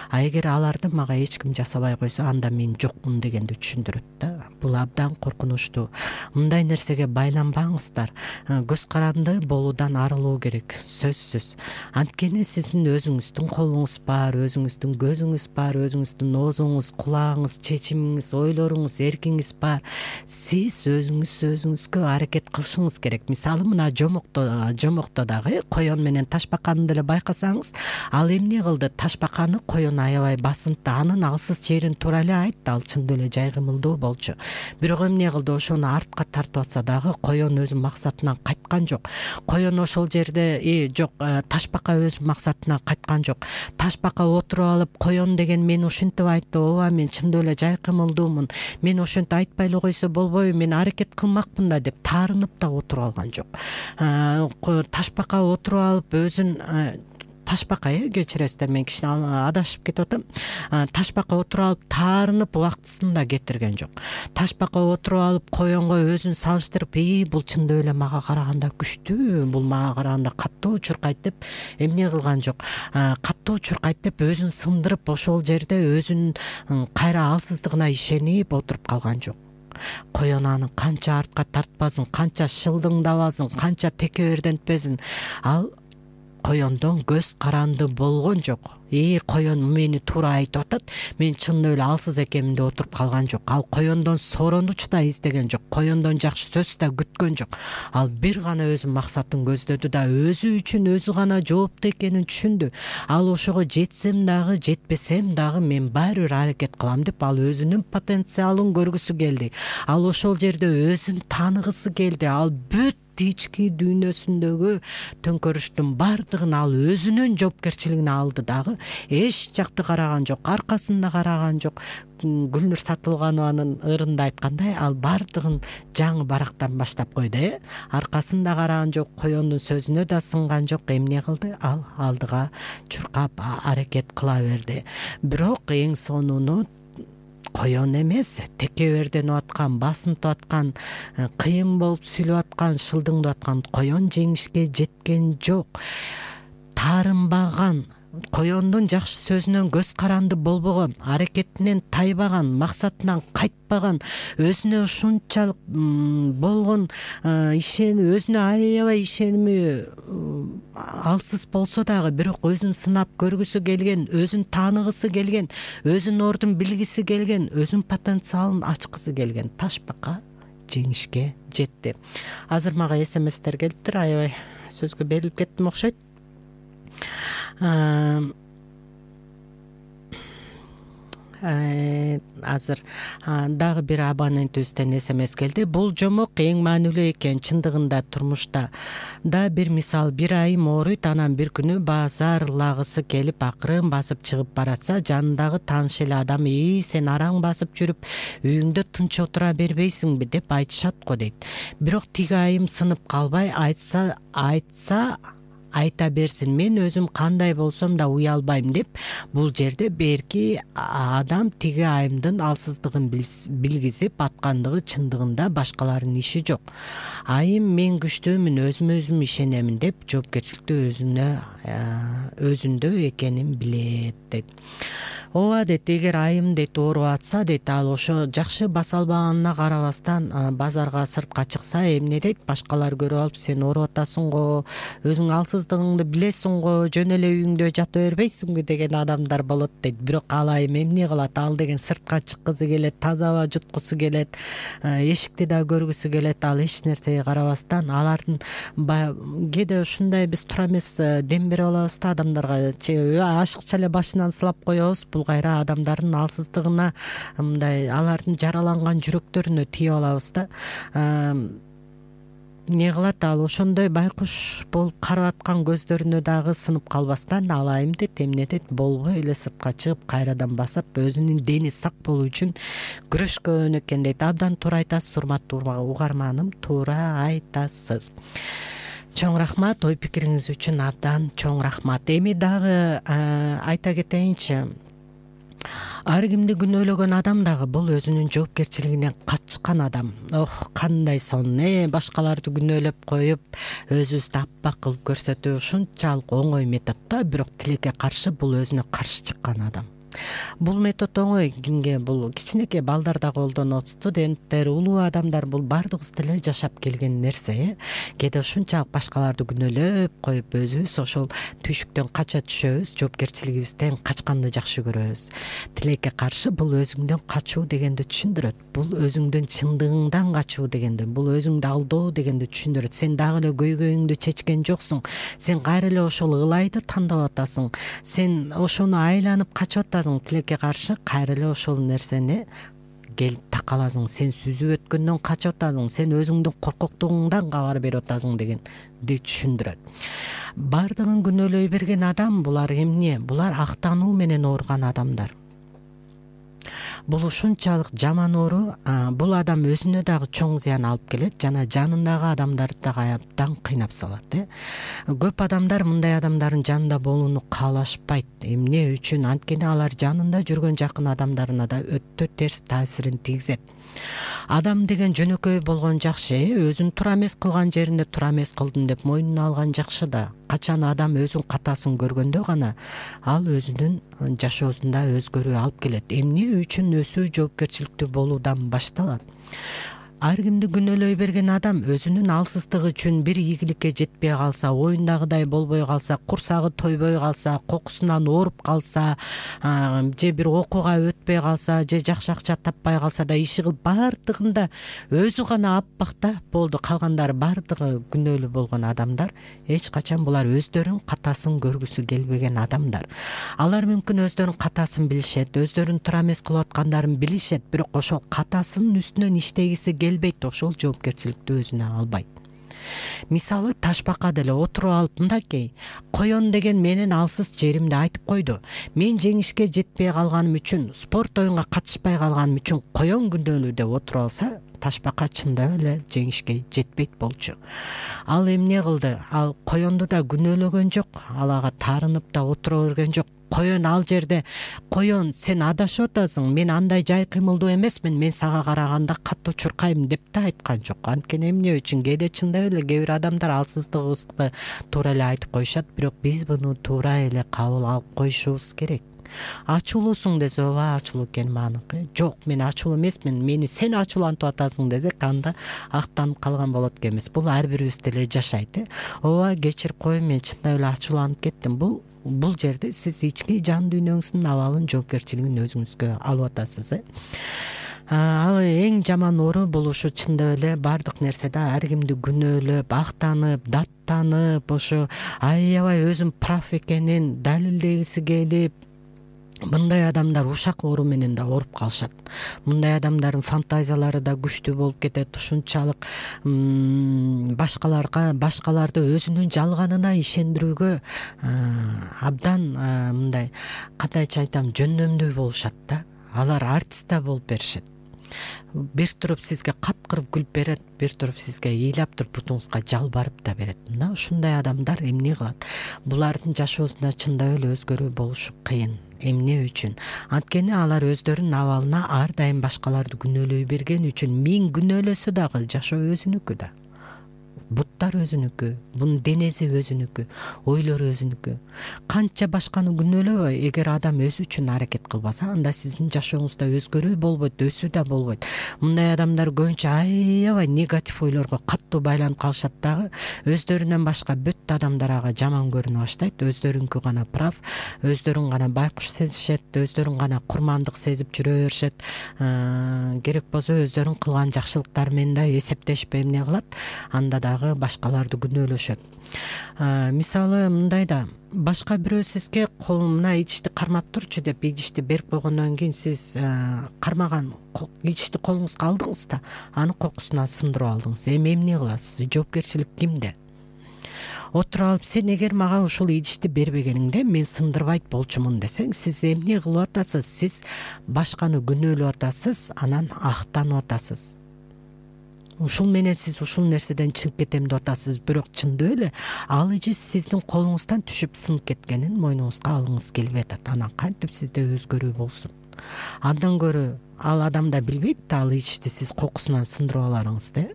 А эгер аларды мага эч ким жасабай койсо, анда мен жокмун дегенди түшүндүрөт да. Бул абдан коркунучтуу. Мындай нерсеге байланбаңыздар. Көз каранды болуудан арылуу керек, сөзсүз. Анткени сиздин өзүңүздүн колуңуз бар, өзүңүздүн көзүңүз бар, өзүңүздүн оозуңуз, кулагыңыз, чечимиңиз, ойлоруңуз, эркиңиз бар. Сиз өзүңүзгө аракет кылышыңыз керек. Мисалы мына жомокто дагы коён менен ташбаканы деле байкасаңыз, ал эмне кылды? Ташбаканы коён аябай басынтты, анын алсыз жерин туура эле айтты, ал чындап эле жай кымылдуу болчу. бирок эмне кылды, ошону артка тартып атса дагы коен өзүнүн максатынан кайткан жок. Коен ошол жерде жок, Ташбака өз максатынан кайткан жок. Ташбака отуруп алып, коен деген мени ушинтип айтты, ооба мен чындап эле жайкымылдуумун, мен ошентип айтпай эле койсо болбойбу, мен аракет кылмакмын да деп таарынып да отуруп алган жок. Ташбака отуруп алып өзүн Ташбака кечиресиздер, мен кичине адашып кетип атам. Ташбака отуруп алып таарынып убактысында кетирген жок. Ташбака отуруп алып коенго өзүн салыштырып, бул чындап эле мага караганда күчтүү, бул мага караганда катуу чуркайт деп эмне кылган жок. Катуу чуркайт деп өзүн сындырып, ошол жерде өзүнүн кайра алсыздыгына ишенип отуруп калган жок. Коен аны канча артка тартпасын, канча шылдыңдабасын, канча текебердентпесин, ал коендон көз каранды болгон жок. Коен мени туура айтып атат, мен чындап эле алсыз экенмин деп отуруп калган жок. Ал коендон сооронуч да издеген жок, коендон жакшы сөз да күткөн жок. Ал бир гана өзүнүн максатын көздөдү да өзү үчүн өзү гана жооптуу экенин түшүндү. Ал ошого жетсем дагы, жетпесем дагы мен баары бир аракет кылам деп ал өзүнүн потенциалын көргүсү келди. Ал ошол жерде өзүн тааныгысы келди. Ал бүт ички дүйнөсүндөгү төңкөрүштүн бардыгын ал өзүнүн жоопкерчилигине алды дагы эч жакты караган жок, аркасында караган жок. Гүлнур Сатылганованын ырында айткандай, ал бардыгын жаңы барактан баштап койду. Аркасында караган жок, коендун сөзүнө да сынган жок. Эмне кылды? Ал алдыга чуркап аракет кыла берди. Бирок эң сонуну коен эмес, текеберденип аткан, басынтып аткан, кыйын болуп сүйлөп аткан, шылдыңдап аткан коен жеңишке жеткен жок. Таарынбаган, коендун жакшы сөзүнөн көз каранды болбогон, аракетинен тайбаган, максатынан кайтпаган, өзүнө ушунчалык болгон өзүнө аябай ишеними алсыз болсо дагы, бирок өзүн сынап көргүсү келген, өзүн тааныгысы келген, өзүнүн ордун билгиси келген, өзүнүн потенциалын ачкысы келген Ташбака жеңишке жетти. Азыр мага СМСтер келиптир, аябай сөзгө берилип кеттим окшойт. Азыр дагы бир абонентибизден СМС келди. Бул жомок эң маанилүү экен. Чындыгында турмушта да бир мисал, бир айым ооруйт, анан бир күнү базарлагысы келип акырын басып чыгып баратса, жанындагы тааныш эле адам сен араң басып жүрүп үйүңдө тынч отура бербейсиңби деп айтышат го дейт. Бирок тиги айым сынып калбай, айтса айта берсин, мен өзүм кандай болсом да уялбайм деп, бул жерде берки адам тиги айымдын алсыздыгын билгизип аткандыгы чындыгында башкалардын иши жок. Айым мен күчтүүмүн, өзүмө өзүм ишенемин деп жоопкерчиликти өзүндө экенин билет дейт. Ооба дейт, эгер айым дейт ооруп атса дейт, ал ошо жакшы баса албаганына карабастан базарга сыртка чыкса, эмне дейт, башкалар көрүп алып, сен ооруп атасың го, өзүң алсыздыгыңды билесиң го, жөн эле үйүңдө жата бербейсиңби деген адамдар болот дейт. Бирок ал айым эмне кылат? Ал деген сыртка чыккысы келет, таза аба жуткусу келет, эшикти да көргүсү келет. Ал эч нерсеге карабастан, алардын кээде ушундай биз тура эмес дем берип алабыз да адамдарга, ашыкча эле башынан сылап коебуз. Бул кайра адамдардын алсыздыгына, мындай алардын жараланган жүрөктөрүнө тийип алабыз да. Не кылат? Ал ошондой байкуш болуп карап аткан көздөрүнө дагы сынып калбастан, ал айым дейт, эмне дейт, болбой эле сыртка чыгып кайрадан басып, өзүнүн дени сак болуу үчүн күрөшкөн экен дейт. Абдан туура айтасыз, урматтуу угарманым, туура айтасыз. Чоң рахмат, ой пикириңиз үчүн абдан чоң рахмат. Эми дагы айта кетейинчи, ар кимди күнөөлөгөн адам дагы бул өзүнүн жоопкерчилигинен качкан адам. Кандай сонун, башкаларды күнөөлөп коюп, өзүбүздү аппак кылып көрсөтүү ушунчалык оңой метод да, бирок тилекке каршы бул өзүнө каршы чыккан адам. Бул метод оңой кимге? Бул кичинекей балдар да колдонот, студенттер, улуу адамдар, бул бардыгыбыз деле жашап келген нерсе. Кээде ушунчалык башкаларды күнөөлөп коюп, өзүбүз ошол түйшүктөн кача түшөбүз, жоопкерчилигибизден качканды жакшы көрөбүз. Тилекке каршы бул өзүңдөн качуу дегенди түшүндүрөт. Бул өзүңдүн чындыгыңдан качуу дегенди, бул өзүңдү алдоо дегенди түшүндүрөт. Сен дагы эле көйгөйүңдү чечкен жоксуң. Сен кайра эле ошол ылайды тандап атасың. Сен ошону айланып качып атасың. Тилекке каршы кайра эле ошол нерсени каласың, сен сүзүп өткөндөн качып атасың, сен өзүңдүн коркоктугуңдан кабар берип атасың дегенди түшүндүрөт. Бардыгын күнөөлөй берген адам булар эмне? Булар актануу менен ооруган адамдар. Бул ушунчалык жаман оору, бул адам өзүнө дагы чоң зыян алып келет жана жанындагы адамдарды дагы абдан кыйнап салат. Көп адамдар мындай адамдардын жанында болууну каалашпайт. Эмне үчүн? Анткени алар жанында жүргөн жакын адамдарына да өтө терс таасирин тийгизет. Адам деген жөнөкөй болгон жакшы, өзүн туура эмес кылган жеринде туура эмес кылдым деп мойнуна алган жакшы да. Качан адам өзүнүн катасын көргөндө гана ал өзүнүн жашоосунда өзгөрүү алып келет. Эмне үчүн өсүү жоопкерчиликтүү болуудан башталат. Ар кимди күнөөлөй берген адам өзүнүн алсыздыгы үчүн бир ийгиликке жетпей калса, оюндагыдай болбой калса, курсагы тойбой калса, кокусунан ооруп калса, же бир окууга өтпөй калса, же жакшы акча таппай калса да иши кылып бардыгында өзү гана аппак да болду, калгандары бардыгы күнөөлүү болгон адамдар. Эч качан булар өздөрүнүн катасын көргүсү келбеген адамдар. Алар мүмкүн өздөрүнүн катасын билишет, өздөрүнүн туура эмес кылып аткандарын билишет, бирок ошол катасынын үстүнөн иштегиси келбейт, ошол жоопкерчиликти өзүнө албайт. Мисалы, Ташбака деле отуруп алып мындакей: коён деген менин алсыз жеримди айтып койду. Мен жеңишке жетпей калганым үчүн, спорт оюнга катышпай калганым үчүн коён күнөөлүү деп отуруп алса, Ташбака чындап эле жеңишке жетпейт болчу. Ал эмне кылды? Ал коёнду да күнөөлөгөн жок, ал ага таарынып да отура берген жок. Коён ал жерде: коён, сен адашып атасың, мен андай жай кыймылдуу эмесмин, мен сага караганда катуу чуркайм деп да айткан жок. Анткени эмне үчүн? Кээде чындап эле кээ бир адамдар алсыздыгыбызды туура эле айтып коюшат, бирок биз буну туура эле кабыл алып коюшубуз керек. Ачуулуусуң десе, ооба ачуулуу экени аныкы. Жок, мен ачуулуу эмесмин, мени сен ачуулантып атасың десек, анда актанып калган болот экенбиз. Бул ар бирибиз деле жашайт. Ооба, кечирип кой, мен чындап эле ачууланып кеттим. Бул жерде сиз ички жан дүйнөңүздүн абалын, жоопкерчилигин өзүңүзгө алып атасыз. Ал эң жаман оору бул ушу чындап эле бардык нерседе ар кимди күнөөлөп, актанып, даттанып, ошо аябай өзүн прав экенин далилдегиси келип, мындай адамдар ушак оору менен да ооруп калышат. Мындай адамдардын фантазиялары да күчтүү болуп кетет. Ушунчалык башкаларды өзүнүн жалганына ишендирүүгө абдан мындай, кандайча айтам, жөндөмдүү болушат да. Алар артист да болуп беришет. Бир туруп сизге каткырып күлүп берет, бир туруп сизге ыйлап туруп бутуңузга жалбарып да берет. Мына ушундай адамдар эмне кылат? Булардын жашоосунда чындап эле өзгөрүү болушу кыйын. Эмне үчүн? Анткени алар өздөрүнүн абалына ар дайым башкаларды күнөөлөй берген үчүн, миң күнөөлөсө дагы жашоо өзүнүкү да. Буттар өзүнүкү, бунун денеси өзүнүкү, ойлору өзүнүкү. Канча башканы күнөөлөбөй, эгер адам өзү үчүн аракет кылбаса, анда сиздин жашооңузда өзгөрүү болбойт, өсүү да болбойт. Мындай адамдар көбүнчө аябай негатив ойлорго катуу байланып калышат дагы, өздөрүнөн башка бүт адамдар ага жаман көрүнө баштайт, өздөрүнкү гана прав, өздөрүн гана байкуш сезишет, өздөрүн гана курмандык сезип жүрө беришет. Керек болсо өздөрүн кылган жакшылыктары менен да эсептешпей эмне кылат, анда да башкаларды күнөөлөшөт. Мисалы, мындай да, башка бирөө сизге колуна идишти кармап турчу деп идишти берип койгондон кийин сиз кармаган идишти колуңузга алдыңыз да, анын кокусуна сындырып алдыңыз. Эмне кыласыз? Жоопкерчилик кимде? Отуруп алып, сен эгер мага ушул идишти бербегениңде мен сындырбайт болчумун десең, сиз эмне кылып атасыз? Сиз башканы күнөөлөп атасыз, анан актанып атасыз. Ушул менен сиз ушул нерседен чыгып кетем деп атасыз, бирок чындап эле ал ижи сиздин колуңуздан түшүп сынып кеткенин мойнуңузга алыңыз келбей атат. Анан кантип сизде өзгөрүү болсун? Андан көрө ал адам да билбейт да, ал ижишти сиз кокусунан сындырып аларыңызды.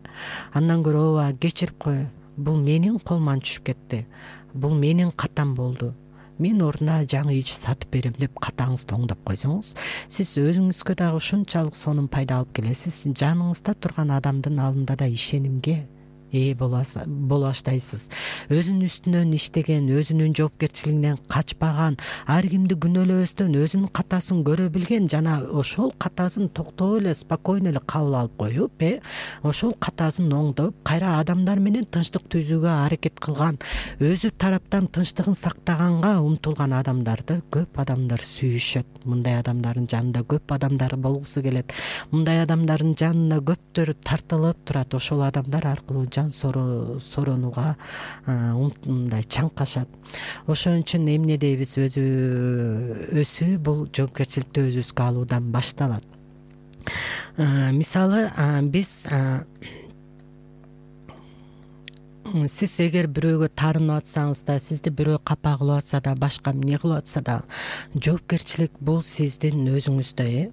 Андан көрө ооба кечирип кой, бул менин колуман түшүп кетти, бул менин катам болду, мен ордуна жаңы ич сатып берем деп катаңызды оңдоп койсоңуз, сиз өзүңүзгө дагы ушунчалык сонун пайда алып келесиз. Жаныңызда турган адамдын алдында да ишенимге ээ боло баштайсыз. Өзүнүн үстүнөн иштеген, өзүнүн жоопкерчилигинен качпаган, ар кимди күнөөлөбөстөн өзүнүн катасын көрө билген жана ошол катасын токтоо эле спокойно эле кабыл алып коюп, ошол катасын оңдоп, кайра адамдар менен тынчтык түзүүгө аракет кылган, өзү тараптан тынчтыгын сактаганга умтулган адамдарды көп адамдар сүйүшөт. Мындай адамдардын жанында көп адамдар болгусу келет. Мындай адамдардын жанына көптөр тартылып турат. Ошол адамдар аркылуу жан соронууга мындай чаңкашат. Ошон үчүн эмне дейбиз, өзү бул жоопкерчиликти өзүбүзгө алуудан башталат. Мисалы, сиз эгер бирөөгө таарынып атсаңыз да, сизди бирөө капа кылып атса да, башка эмне кылып атса да, жоопкерчилик бул сиздин өзүңүздө.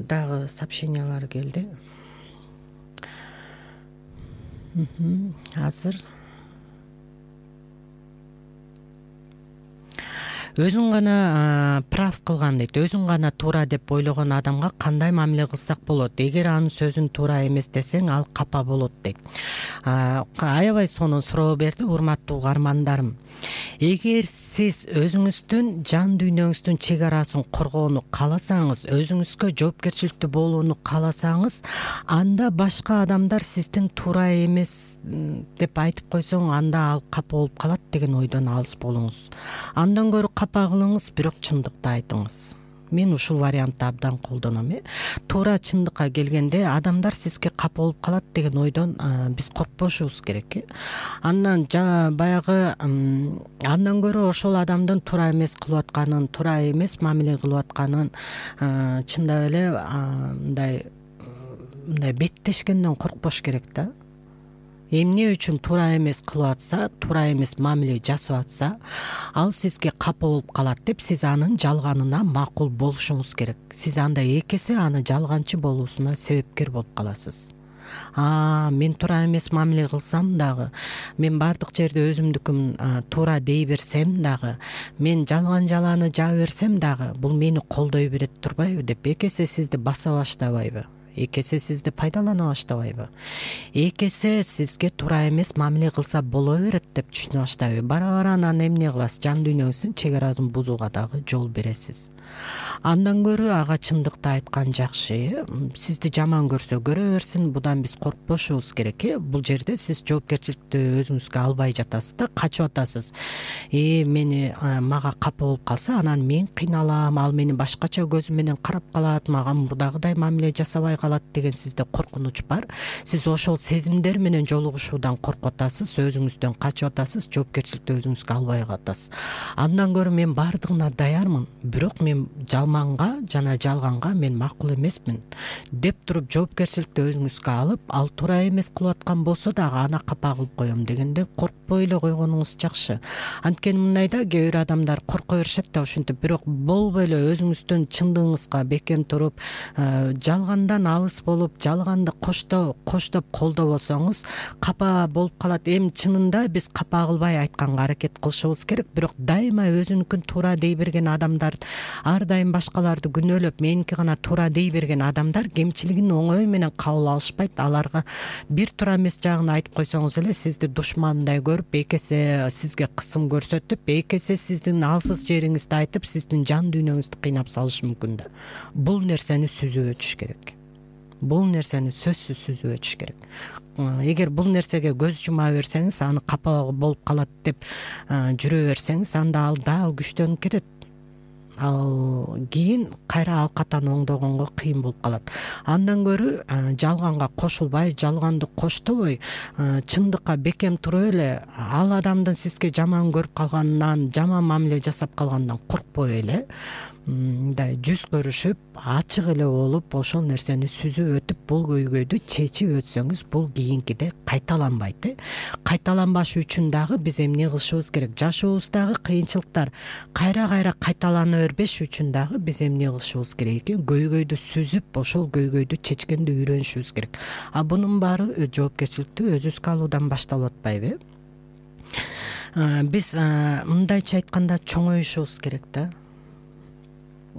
Дагы сообщениялар келди. Азыр өзүн гана прав кылган дейт. Өзүн гана туура деп ойлогон адамга кандай мамиле кылсак болот? Эгер анын сөзүн туура эмес десең, ал капа болот дейт. Аябай сонун суроо берди, урматтуу угармандарым. Эгер сиз өзүңүздүн жан дүйнөңүздүн чек арасын коргоону кааласаңыз, өзүңүзгө жоопкерчиликтүү болууну кааласаңыз, анда башка адамдар сиздин туура эмес деп айтып койсоң, анда ал капа болуп калат деген ойдон алыс болуңуз. Андан көрө капа кылыңыз, бирок чындыкты айтыңыз. Мен ушул вариантты абдан колдоном. Туура чындыкка келгенде адамдар сизге капа болуп калат деген ойдон биз коркпошубуз керек. Андан баягы андан көрө ошол адамдын туура эмес кылып атканын, туура эмес мамиле кылып атканын чындап эле мындай беттешкенден коркпош керек да. Эмне үчүн туура эмес кылып атса, туура эмес мамиле жасап атса, ал сизге капа болуп калат деп сиз анын жалганына макул болушуңуз керек. Сиз анда эки эсе аны жалганчы болуусуна себепкер болуп каласыз. Мен туура эмес мамиле кылсам дагы, мен бардык жерде өзүмдүкүм туура дей берсем дагы, мен жалганы жаа берсем дагы, бул мени колдой берет турбайбы деп эки эсе сизди баса баштабайбы? Эки эсе сизди пайдалана баштабайбы? Эки эсе сизге туура эмес мамиле кылса боло берет деп түшүнө баштайбы? Бара анан эмне кыласыз? Жан дүйнөңүздүн чек арасын бузууга дагы жол бересиз. Андан көрө ага чындыкты айткан жакшы. Сизди жаман көрсө көрө берсин, будан биз коркпошубуз керек. Бул жерде сиз жоопкерчиликти өзүңүзгө албай жатасыз да, качып атасыз. Мага капа болуп калса, анан мен кыйналам, ал мени башкача көзү менен карап калат, мага мурдагыдай мамиле жасабай калат деген сизде коркунуч бар. Сиз ошол сезимдер менен жолугушуудан коркуп атасыз, өзүңүздөн качып атасыз, жоопкерчиликти өзүңүзгө албай каласыз. Андан көрө мен бардыгына даярмын, бирок мен жалманга жана жалганга мен макул эмесмин деп туруп жоопкерчиликти өзүңүзгө алып, ал туура эмес кылып аткан болсо дагы ана капа кылып коем дегенде коркпой эле койгонуңуз жакшы. Анткени мындайда кээ бир адамдар корко беришет да ушинтип, бирок болбой эле өзүңүздүн чындыгыңызга бекем туруп, жалгандан алыс болуп, жалганды коштоп колдобосоңуз капа болуп калат. Эми чынында биз капа кылбай айтканга аракет кылышыбыз керек, бирок дайыма өзүнүкүн туура дей берген адамдар, ар дайым башкаларды күнөөлөп, меники гана туура дей берген адамдар кемчилигин оңой менен кабыл алышпайт. Аларга бир туура эмес жагын айтып койсоңуз эле сизди душмандай көрүп, эки эсе сизге кысым көрсөтүп, эки эсе сиздин алсыз жериңизди айтып, сиздин жан дүйнөңүздү кыйнап салышы мүмкүн да. Бул нерсени сүзүп өтүш керек. Бул нерсени сөзсүз сүзүп өтүш керек. Эгер бул нерсеге көз жума берсеңиз, аны капа болуп калат деп жүрө берсеңиз, анда ал дагы күчтөнүп кетет. Ал кийин кайра ал катаны оңдогонго кыйын болуп калат. Андан көрө жалганга кошулбай, жалганды коштобой, чындыкка бекем туруп эле, ал адамдын сизге жаман көрүп калганынан, жаман мамиле жасап калганынан коркпой эле, мындай жүз көрүшүп, ачык эле болуп, ошол нерсени сүзүп өтүп, бул көйгөйдү чечип өтсөңүз, бул кийинкиде кайталанбайт. Кайталанбаш үчүн дагы биз эмне кылышыбыз керек? Жашообуздагы кыйынчылыктар кайра кайталана бербеш үчүн дагы биз эмне кылышыбыз керек экен? Көйгөйдү сүзүп, ошол көйгөйдү чечкенди үйрөнүшүбүз керек. Бунун баары жоопкерчиликти өзүбүзгө алуудан башталып атпайбы? Биз мындайча айтканда чоңоюшубуз керек да.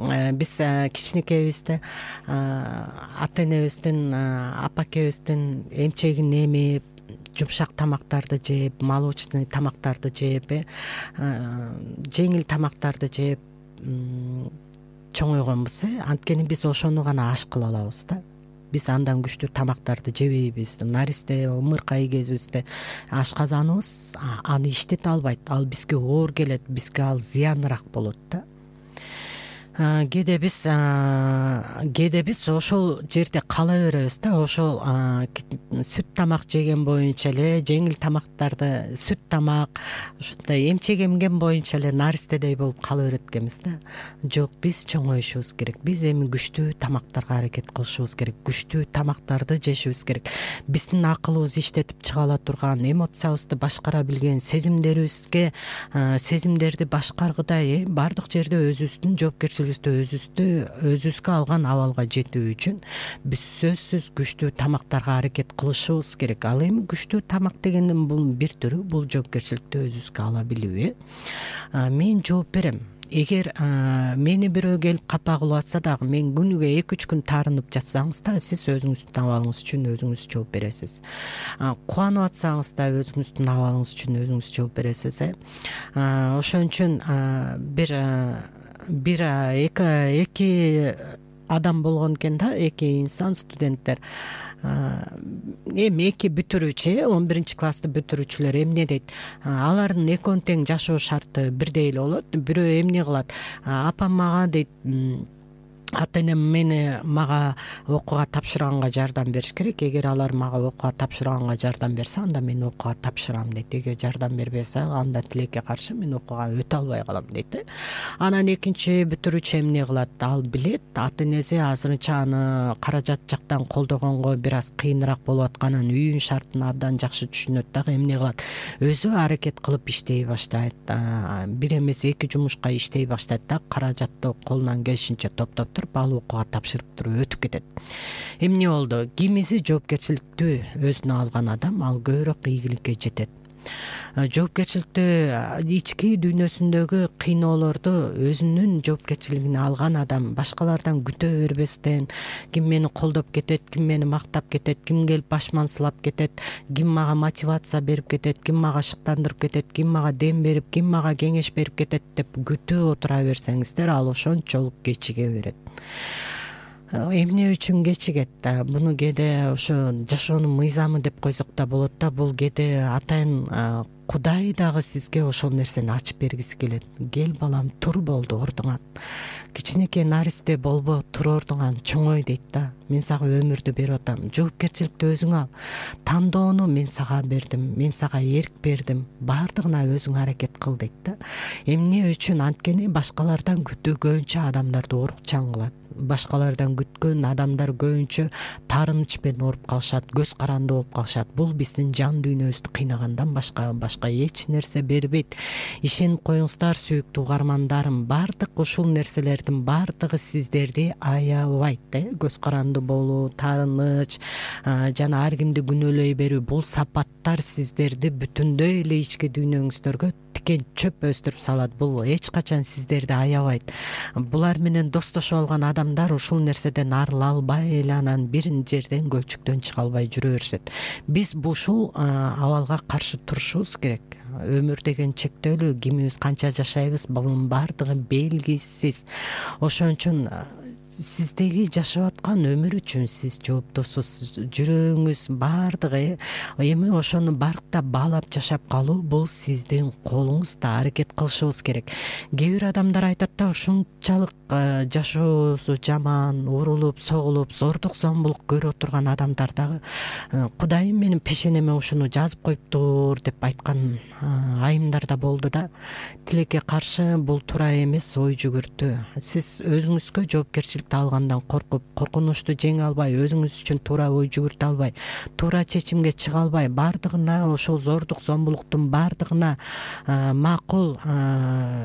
Биз кичинекейибизде ата энебиздин, апа экебиздин эмчегин эмип, жумшак тамактарды жеп, молочный тамактарды жеп, жеңил тамактарды жеп чоңойгонбуз. Анткени биз ошону гана аш кыла алабыз да. Биз андан күчтүү тамактарды жебейбиз. Наристе ымыркай кезибизде ашказаныбыз аны иштете албайт. Ал бизге оор келет, бизге ал зыяныраак болот да. Кээде биз ошол жерде кала беребиз да. Ошол сүт тамак жеген боюнча эле, жеңил тамактарды, сүт тамак, ушундай эмчек эмген боюнча эле наристедей болуп кала берет экенбиз да. Жок, биз чоңоюшубуз керек. Биз эми күчтүү тамактарга аракет кылышыбыз керек. Күчтүү тамактарды жешибиз керек. Биздин акылыбыз иштетип чыга ала турган, эмоциябызды башкара билген, сезимдерди башкаргыдай баардык жерде өзүбүздүн жоопкерчилигибизди өзүбүзгө алган абалга жетүү үчүн биз сөзсүз күчтүү тамактарга аракет кылышыбыз керек. Ал эми күчтүү тамак дегендин бул бир түрү, бул жоопкерчиликти өзүбүзгө ала билүү. Мен жооп берем. Эгер мени бирөө келип капа кылып атса дагы, мен күнүгө 2-3 күн таарынып жатсаңыз да, сиз өзүңүздүн абалыңыз үчүн өзүңүз жооп бересиз. Кубанып атсаңыз да өзүңүздүн абалыңыз үчүн өзүңүз жооп бересиз. Ошон үчүн эки адам болгон экен да, эки инсан, студенттер. Эми эки бүтүрүүчү, 11 классты бүтүрүүчүлөр эмне дейт? Алардын экөөнүн тең жашоо шарты бирдей эле болот. Бирөө эмне кылат? Апам мага дейт, ата-энем мага окууга тапшырганга жардам бериш керек. Эгер алар мага окууга тапшырганга жардам берсе, анда мен окууга тапшырам дейт. Эгер жардам бербесе, анда тилекке каршы мен окууга өтө албай калам дейт. Анан экинчи бүтүрүүчү эмне кылат? Ал билет, ата-энеси азырынча аны каражат жактан колдогонго бир аз кыйыныраак болуп атканын, үйүн шартын абдан жакшы түшүнөт дагы. Эмне кылат? Өзү аракет кылып иштей баштайт. Бир эмес 2 жумушка иштей баштайт да, каражатты колунан келишинче топтоп ал окууга тапшырып туруп өтүп кетет. Эмне болду? Кимиси жоопкерчиликти өзүнө алган адам, ал көбүрөөк ийгиликке жетет. Жоопкерчиликти, ички дүйнөсүндөгү кыйноолорду өзүнүн жоопкерчилигине алган адам башкалардан күтө бербестен, ким мени колдоп кетет, ким мени мактап кетет, ким келип башман сылап кетет, ким мага мотивация берип кетет, ким мага шыктандырып кетет, ким мага дем берип, ким мага кеңеш берип кетет деп күтүп отура берсеңиздер, ал ошончолук кечиге берет. Эмне үчүн кечигет? Буну кээде ошо жашоонун мыйзамы деп койсок да болот да. Бул кээде атайын Кудай дагы сизге ошол нерсени ачып бергиси келет. Кел балам, тур болду ордуңан. Кичинекей наристе болбо, тур ордуңан, чоңой дейт да. Мен сага өмүрдү берип атам. Жоопкерчиликти өзүң ал. Тандоону мен сага бердим, мен сага эрк бердим. Баардыгына өзүң аракет кыл дейт да. Эмне үчүн? Анткени башкалардан күтүгөнчө адамдарды орукчан кылат. Башкалардан күткөн адамдар көбүнчө таарыныч менен ооруп калышат, көз каранды болуп калышат. Бул биздин жан дүйнөбүздү кыйнагандан башка эч нерсе бербейт. Ишенип коюңуздар, сүйүктүү угармандарым, баардык ушул нерселердин баардыгы сиздерди аябайт. Көз каранды болуу, таарыныч, жана ар кимди күнөөлөй берүү, бул сапаттар сиздерди бүтүндөй эле ички дүйнөңүздөргө тикен чөп өстүрүп салат. Бул эч качан сиздерди аябайт. Булар менен достошуп алган адамдар ушул нерседен арыла албай эле, анан бир жерден көлчүктөн чыга албай жүрө беришет. Биз ушул абалга каршы турушубуз керек. Өмүр деген чектөөлүү, кимибиз канча жашайбыз, бунун баардыгы белгисиз. Ошон үчүн сиздеги жашап аткан өмүр үчүн сиз жооптусуз. Жүрөгүңүз баардыгы эми ошону барктап баалап жашап калуу, бул сиздин колуңузда. Аракет кылышыбыз керек. Кээ бир адамдар айтат да, ушунчалык жашоосу жаман, урулуп, согулуп, зордук зомбулук көрүп турган адамдар дагы Кудайым менин пешенеме ушуну жазып коюптур деп айткан айымдар да болду да. Тилекке каршы бул туура эмес ой жүгүртүү. Сиз өзүңүзгө жоопкерчиликти алгандан коркуп, коркунучту жеңе албай, өзүңүз үчүн туура ой жүгүртө албай, туура чечимге чыга албай, баардыгына ошол зордук зомбулуктун баардыгына макул,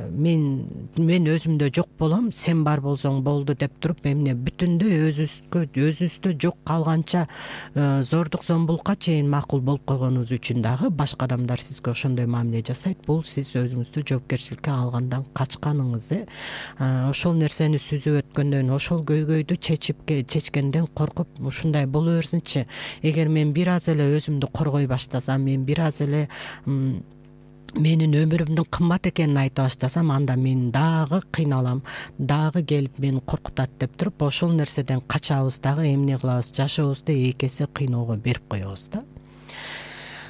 мен өзүмдө жок болом, сен бар болсоң болду деп туруп, эмне бүтүндөй өзүбүздө жок калганча зордук зомбулукка чейин макул болуп койгонуңуз үчүн дагы башка адамдар сизге ошондой мамиле жасайт. Бул сиз өзүңүздү жоопкерчиликке алгандан качканыңыз. Ошол нерсени сүзүп өткөндөн, ошол ошол көйгөйдү чечкенден коркуп ушундай боло берсинчи. Эгер мен бир аз эле өзүмдү коргой баштасам, мен бир аз эле менин өмүрүмдүн кымбат экенин айта баштасам, анда мен дагы кыйналам, дагы келип мени коркутат деп туруп, ошол нерседен качабыз дагы, эмне кылабыз, жашообузду эки эсе кыйноого берип коебуз да.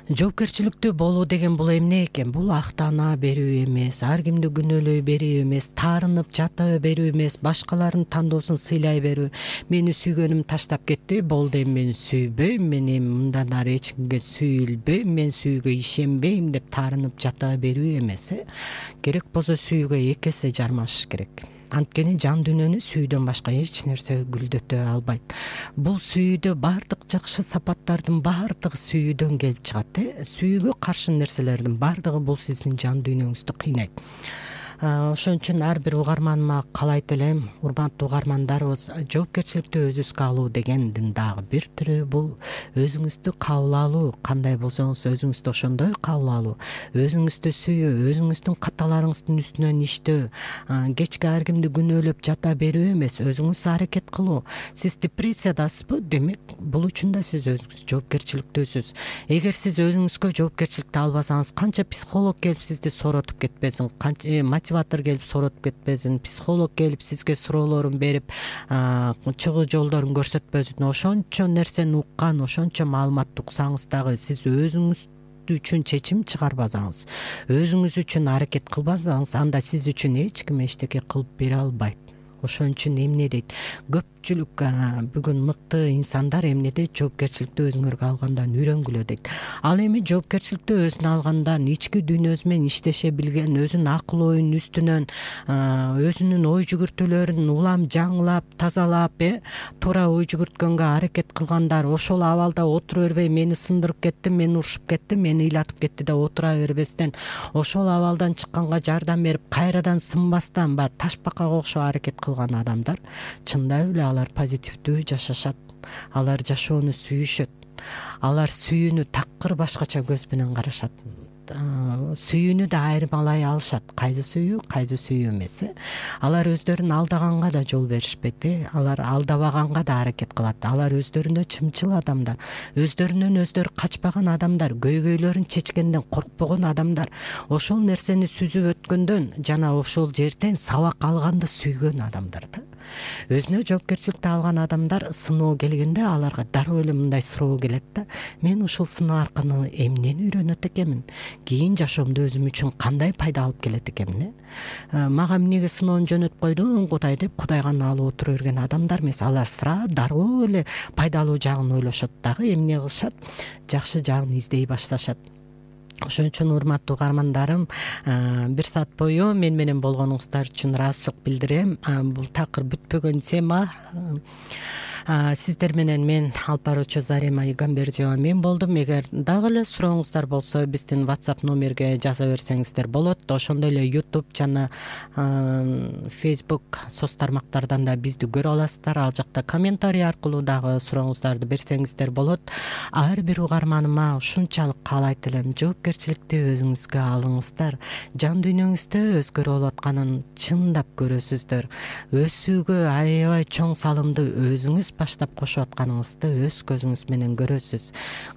Жоопкерчиликтүү болуу деген бул эмне экен? Бул актана берүү эмес, ар кимди күнөөлөй берүү эмес, таарынып жата берүү эмес, башкалардын тандоосун сыйлай берүү. Мени сүйгөнүм таштап кетти, болду, эми мени сүйбөйм, мен эми мындан ары эч кимге сүйүлбөйм, мен сүйүүгө ишенбейм деп таарынып жата берүү эмес. Керек болсо сүйүүгө эки эсе жармашыш керек. Анткени жан дүйнөнү сүйүүдөн башка эч нерсе гүлдөтө албайт. Бул сүйүүдө баардык жакшы сапаттардын баардыгы сүйүүдөн келип чыгат. Сүйүүгө каршы нерселердин баардыгы бул сиздин жан дүйнөңүздү кыйнайт. Ошон үчүн ар бир угарманыма каалайт элем, урматтуу угармандарыбыз, жоопкерчиликти өзүңүзгө алуу дегендин дагы бир түрү бул өзүңүздү кабыл алуу. Кандай болсоңуз өзүңүздү ошондой кабыл алуу, өзүңүздү сүйүү, өзүңүздүн каталарыңыздын үстүнөн иштөө, кечке ар кимди күнөөлөп жата берүү эмес, өзүңүз аракет кылуу. Сиз депрессиядасызбы? Демек, бул үчүн да сиз өзүңүз жоопкерчиликтүүсүз. Эгер сиз өзүңүзгө жоопкерчиликти албасаңыз, канча психолог келип сизди сооротуп кетпесин, канча мотиватор келип сооротуп кетпесин, психолог келип сизге суроолорун берип, чыгуу жолдорун көрсөтпөсүн, ошончо нерсени уккан, ошончо маалыматты уксаңыз дагы, сиз өзүңүз үчүн чечим чыгарбасаңыз, өзүңүз үчүн аракет кылбасаңыз, анда сиз үчүн эч ким эчтеке кылып бере албайт. Ошон үчүн эмне дейт? Көпчүлүк бүгүн мыкты инсандар эмнеде жоопкерчиликти өзүңөргө алгандан үйрөнгүлө дейт. Ал эми жоопкерчиликти өзүнө алгандан ички дүйнөсү менен иштеше билген, өзүнүн акыл оюнун үстүнөн өзүнүн ой жүгүртүүлөрүн улам жаңылап, тазалап, туура ой жүгүрткөнгө аракет кылгандар, ошол абалда отура бербей, мени сындырып кетти, мени урушуп кетти, мени ыйлатып кетти деп отура бербестен, ошол абалдан чыкканга жардам берип, кайрадан сынбастан ташбакага окшоп аракет кылган адамдар чындап эле алар позитивдүү жашашат. Алар жашоону сүйүшөт. Алар сүйүүнү такыр башкача көз менен карашат. Сүйүүнү да айырмалай алышат. Кайсы сүйүү эмес. Алар өздөрүн алдаганга да жол беришпейт. Алар алдабаганга да аракет кылат. Алар өздөрүнө чымчыл адамдар, өздөрүнөн өздөрү качпаган адамдар, көйгөйлөрүн чечкенден коркпогон адамдар, ошол нерсени сүзүп өткөндөн жана ошол жерден сабак алганды сүйгөн адамдар да. Өзүнө жоопкерчиликти алган адамдар сыноо келгенде аларга дароо эле мындай суроо келет да: мен ушул сыноо аркылуу эмнени үйрөнөт экенмин? Кийин жашоомдо өзүм үчүн кандай пайда алып келет экенмин? Мага эмнеге сыноону жөнөтүп койдуң Кудай деп Кудайга наалып отура берген адамдар эмес. Алар дароо эле пайдалуу жагын ойлошот дагы, эмне кылышат? Жакшы жагын издей башташат. Ошон үчүн урматтуу угармандарым, бир саат бою мен менен болгонуңуздар үчүн ыраазычылык билдирем. Бул такыр бүтпөгөн тема. Сиздер менен мен алып баруучу Зарема Игамбердиева мен болдум. Эгер дагы эле сурооңуздар болсо, биздин WhatsApp номерге жаза берсеңиздер болот. Ошондой эле YouTube жана Facebook соц тармактардан да бизди көрө аласыздар. Ал жакта комментарий аркылуу дагы сурооңуздарды берсеңиздер болот. Ар бир угарманыма ушунчалык каалайт элем: жоопкерчиликти өзүңүзгө алыңыздар. Жан дүйнөңүздө өзгөрүп атканын чындап көрөсүздөр. Өсүүгө аябай чоң салымды өзүңүз баштап кошуп атканыңызды өз көзүңүз менен көрөсүз.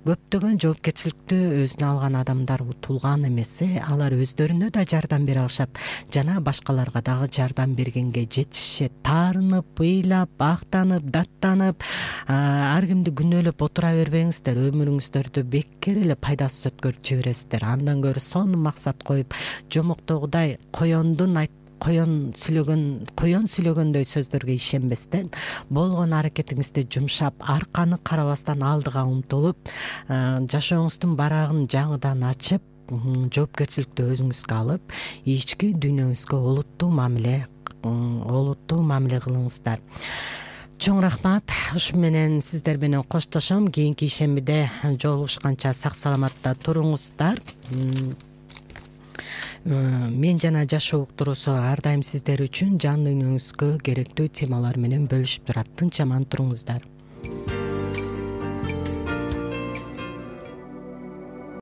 Көптөгөн жоопкерчиликти өзүнө алган адамдар утулган эмес. Алар өздөрүнө да жардам бере алышат жана башкаларга дагы жардам бергенге жетишет. Таарынып, ыйлап, актанып, даттанып, ар кимди күнөөлөп отура бербеңиздер. Өмүрүңүздөрдү бекер эле пайдасыз өткөрүп жибересиздер. Андан көрө сонун максат коюп, жомоктогудай коен сүйлөгөндөй сөздөргө ишенбестен, болгон аракетиңизди жумшап, арканы карабастан алдыга умтулуп, жашооңуздун барагын жаңыдан ачып, жоопкерчиликти өзүңүзгө алып, ички дүйнөңүзгө олуттуу мамиле кылыңыздар. Чоң рахмат. Ушу менен сиздер менен коштошом. Кийинки ишембиде жолугушканча сак саламатта туруңуздар. Мен жана жашоо уктуруусу ар дайым сиздер үчүн жан дүйнөңүзгө керектүү темалар менен бөлүшүп турат. Тынч аман туруңуздар.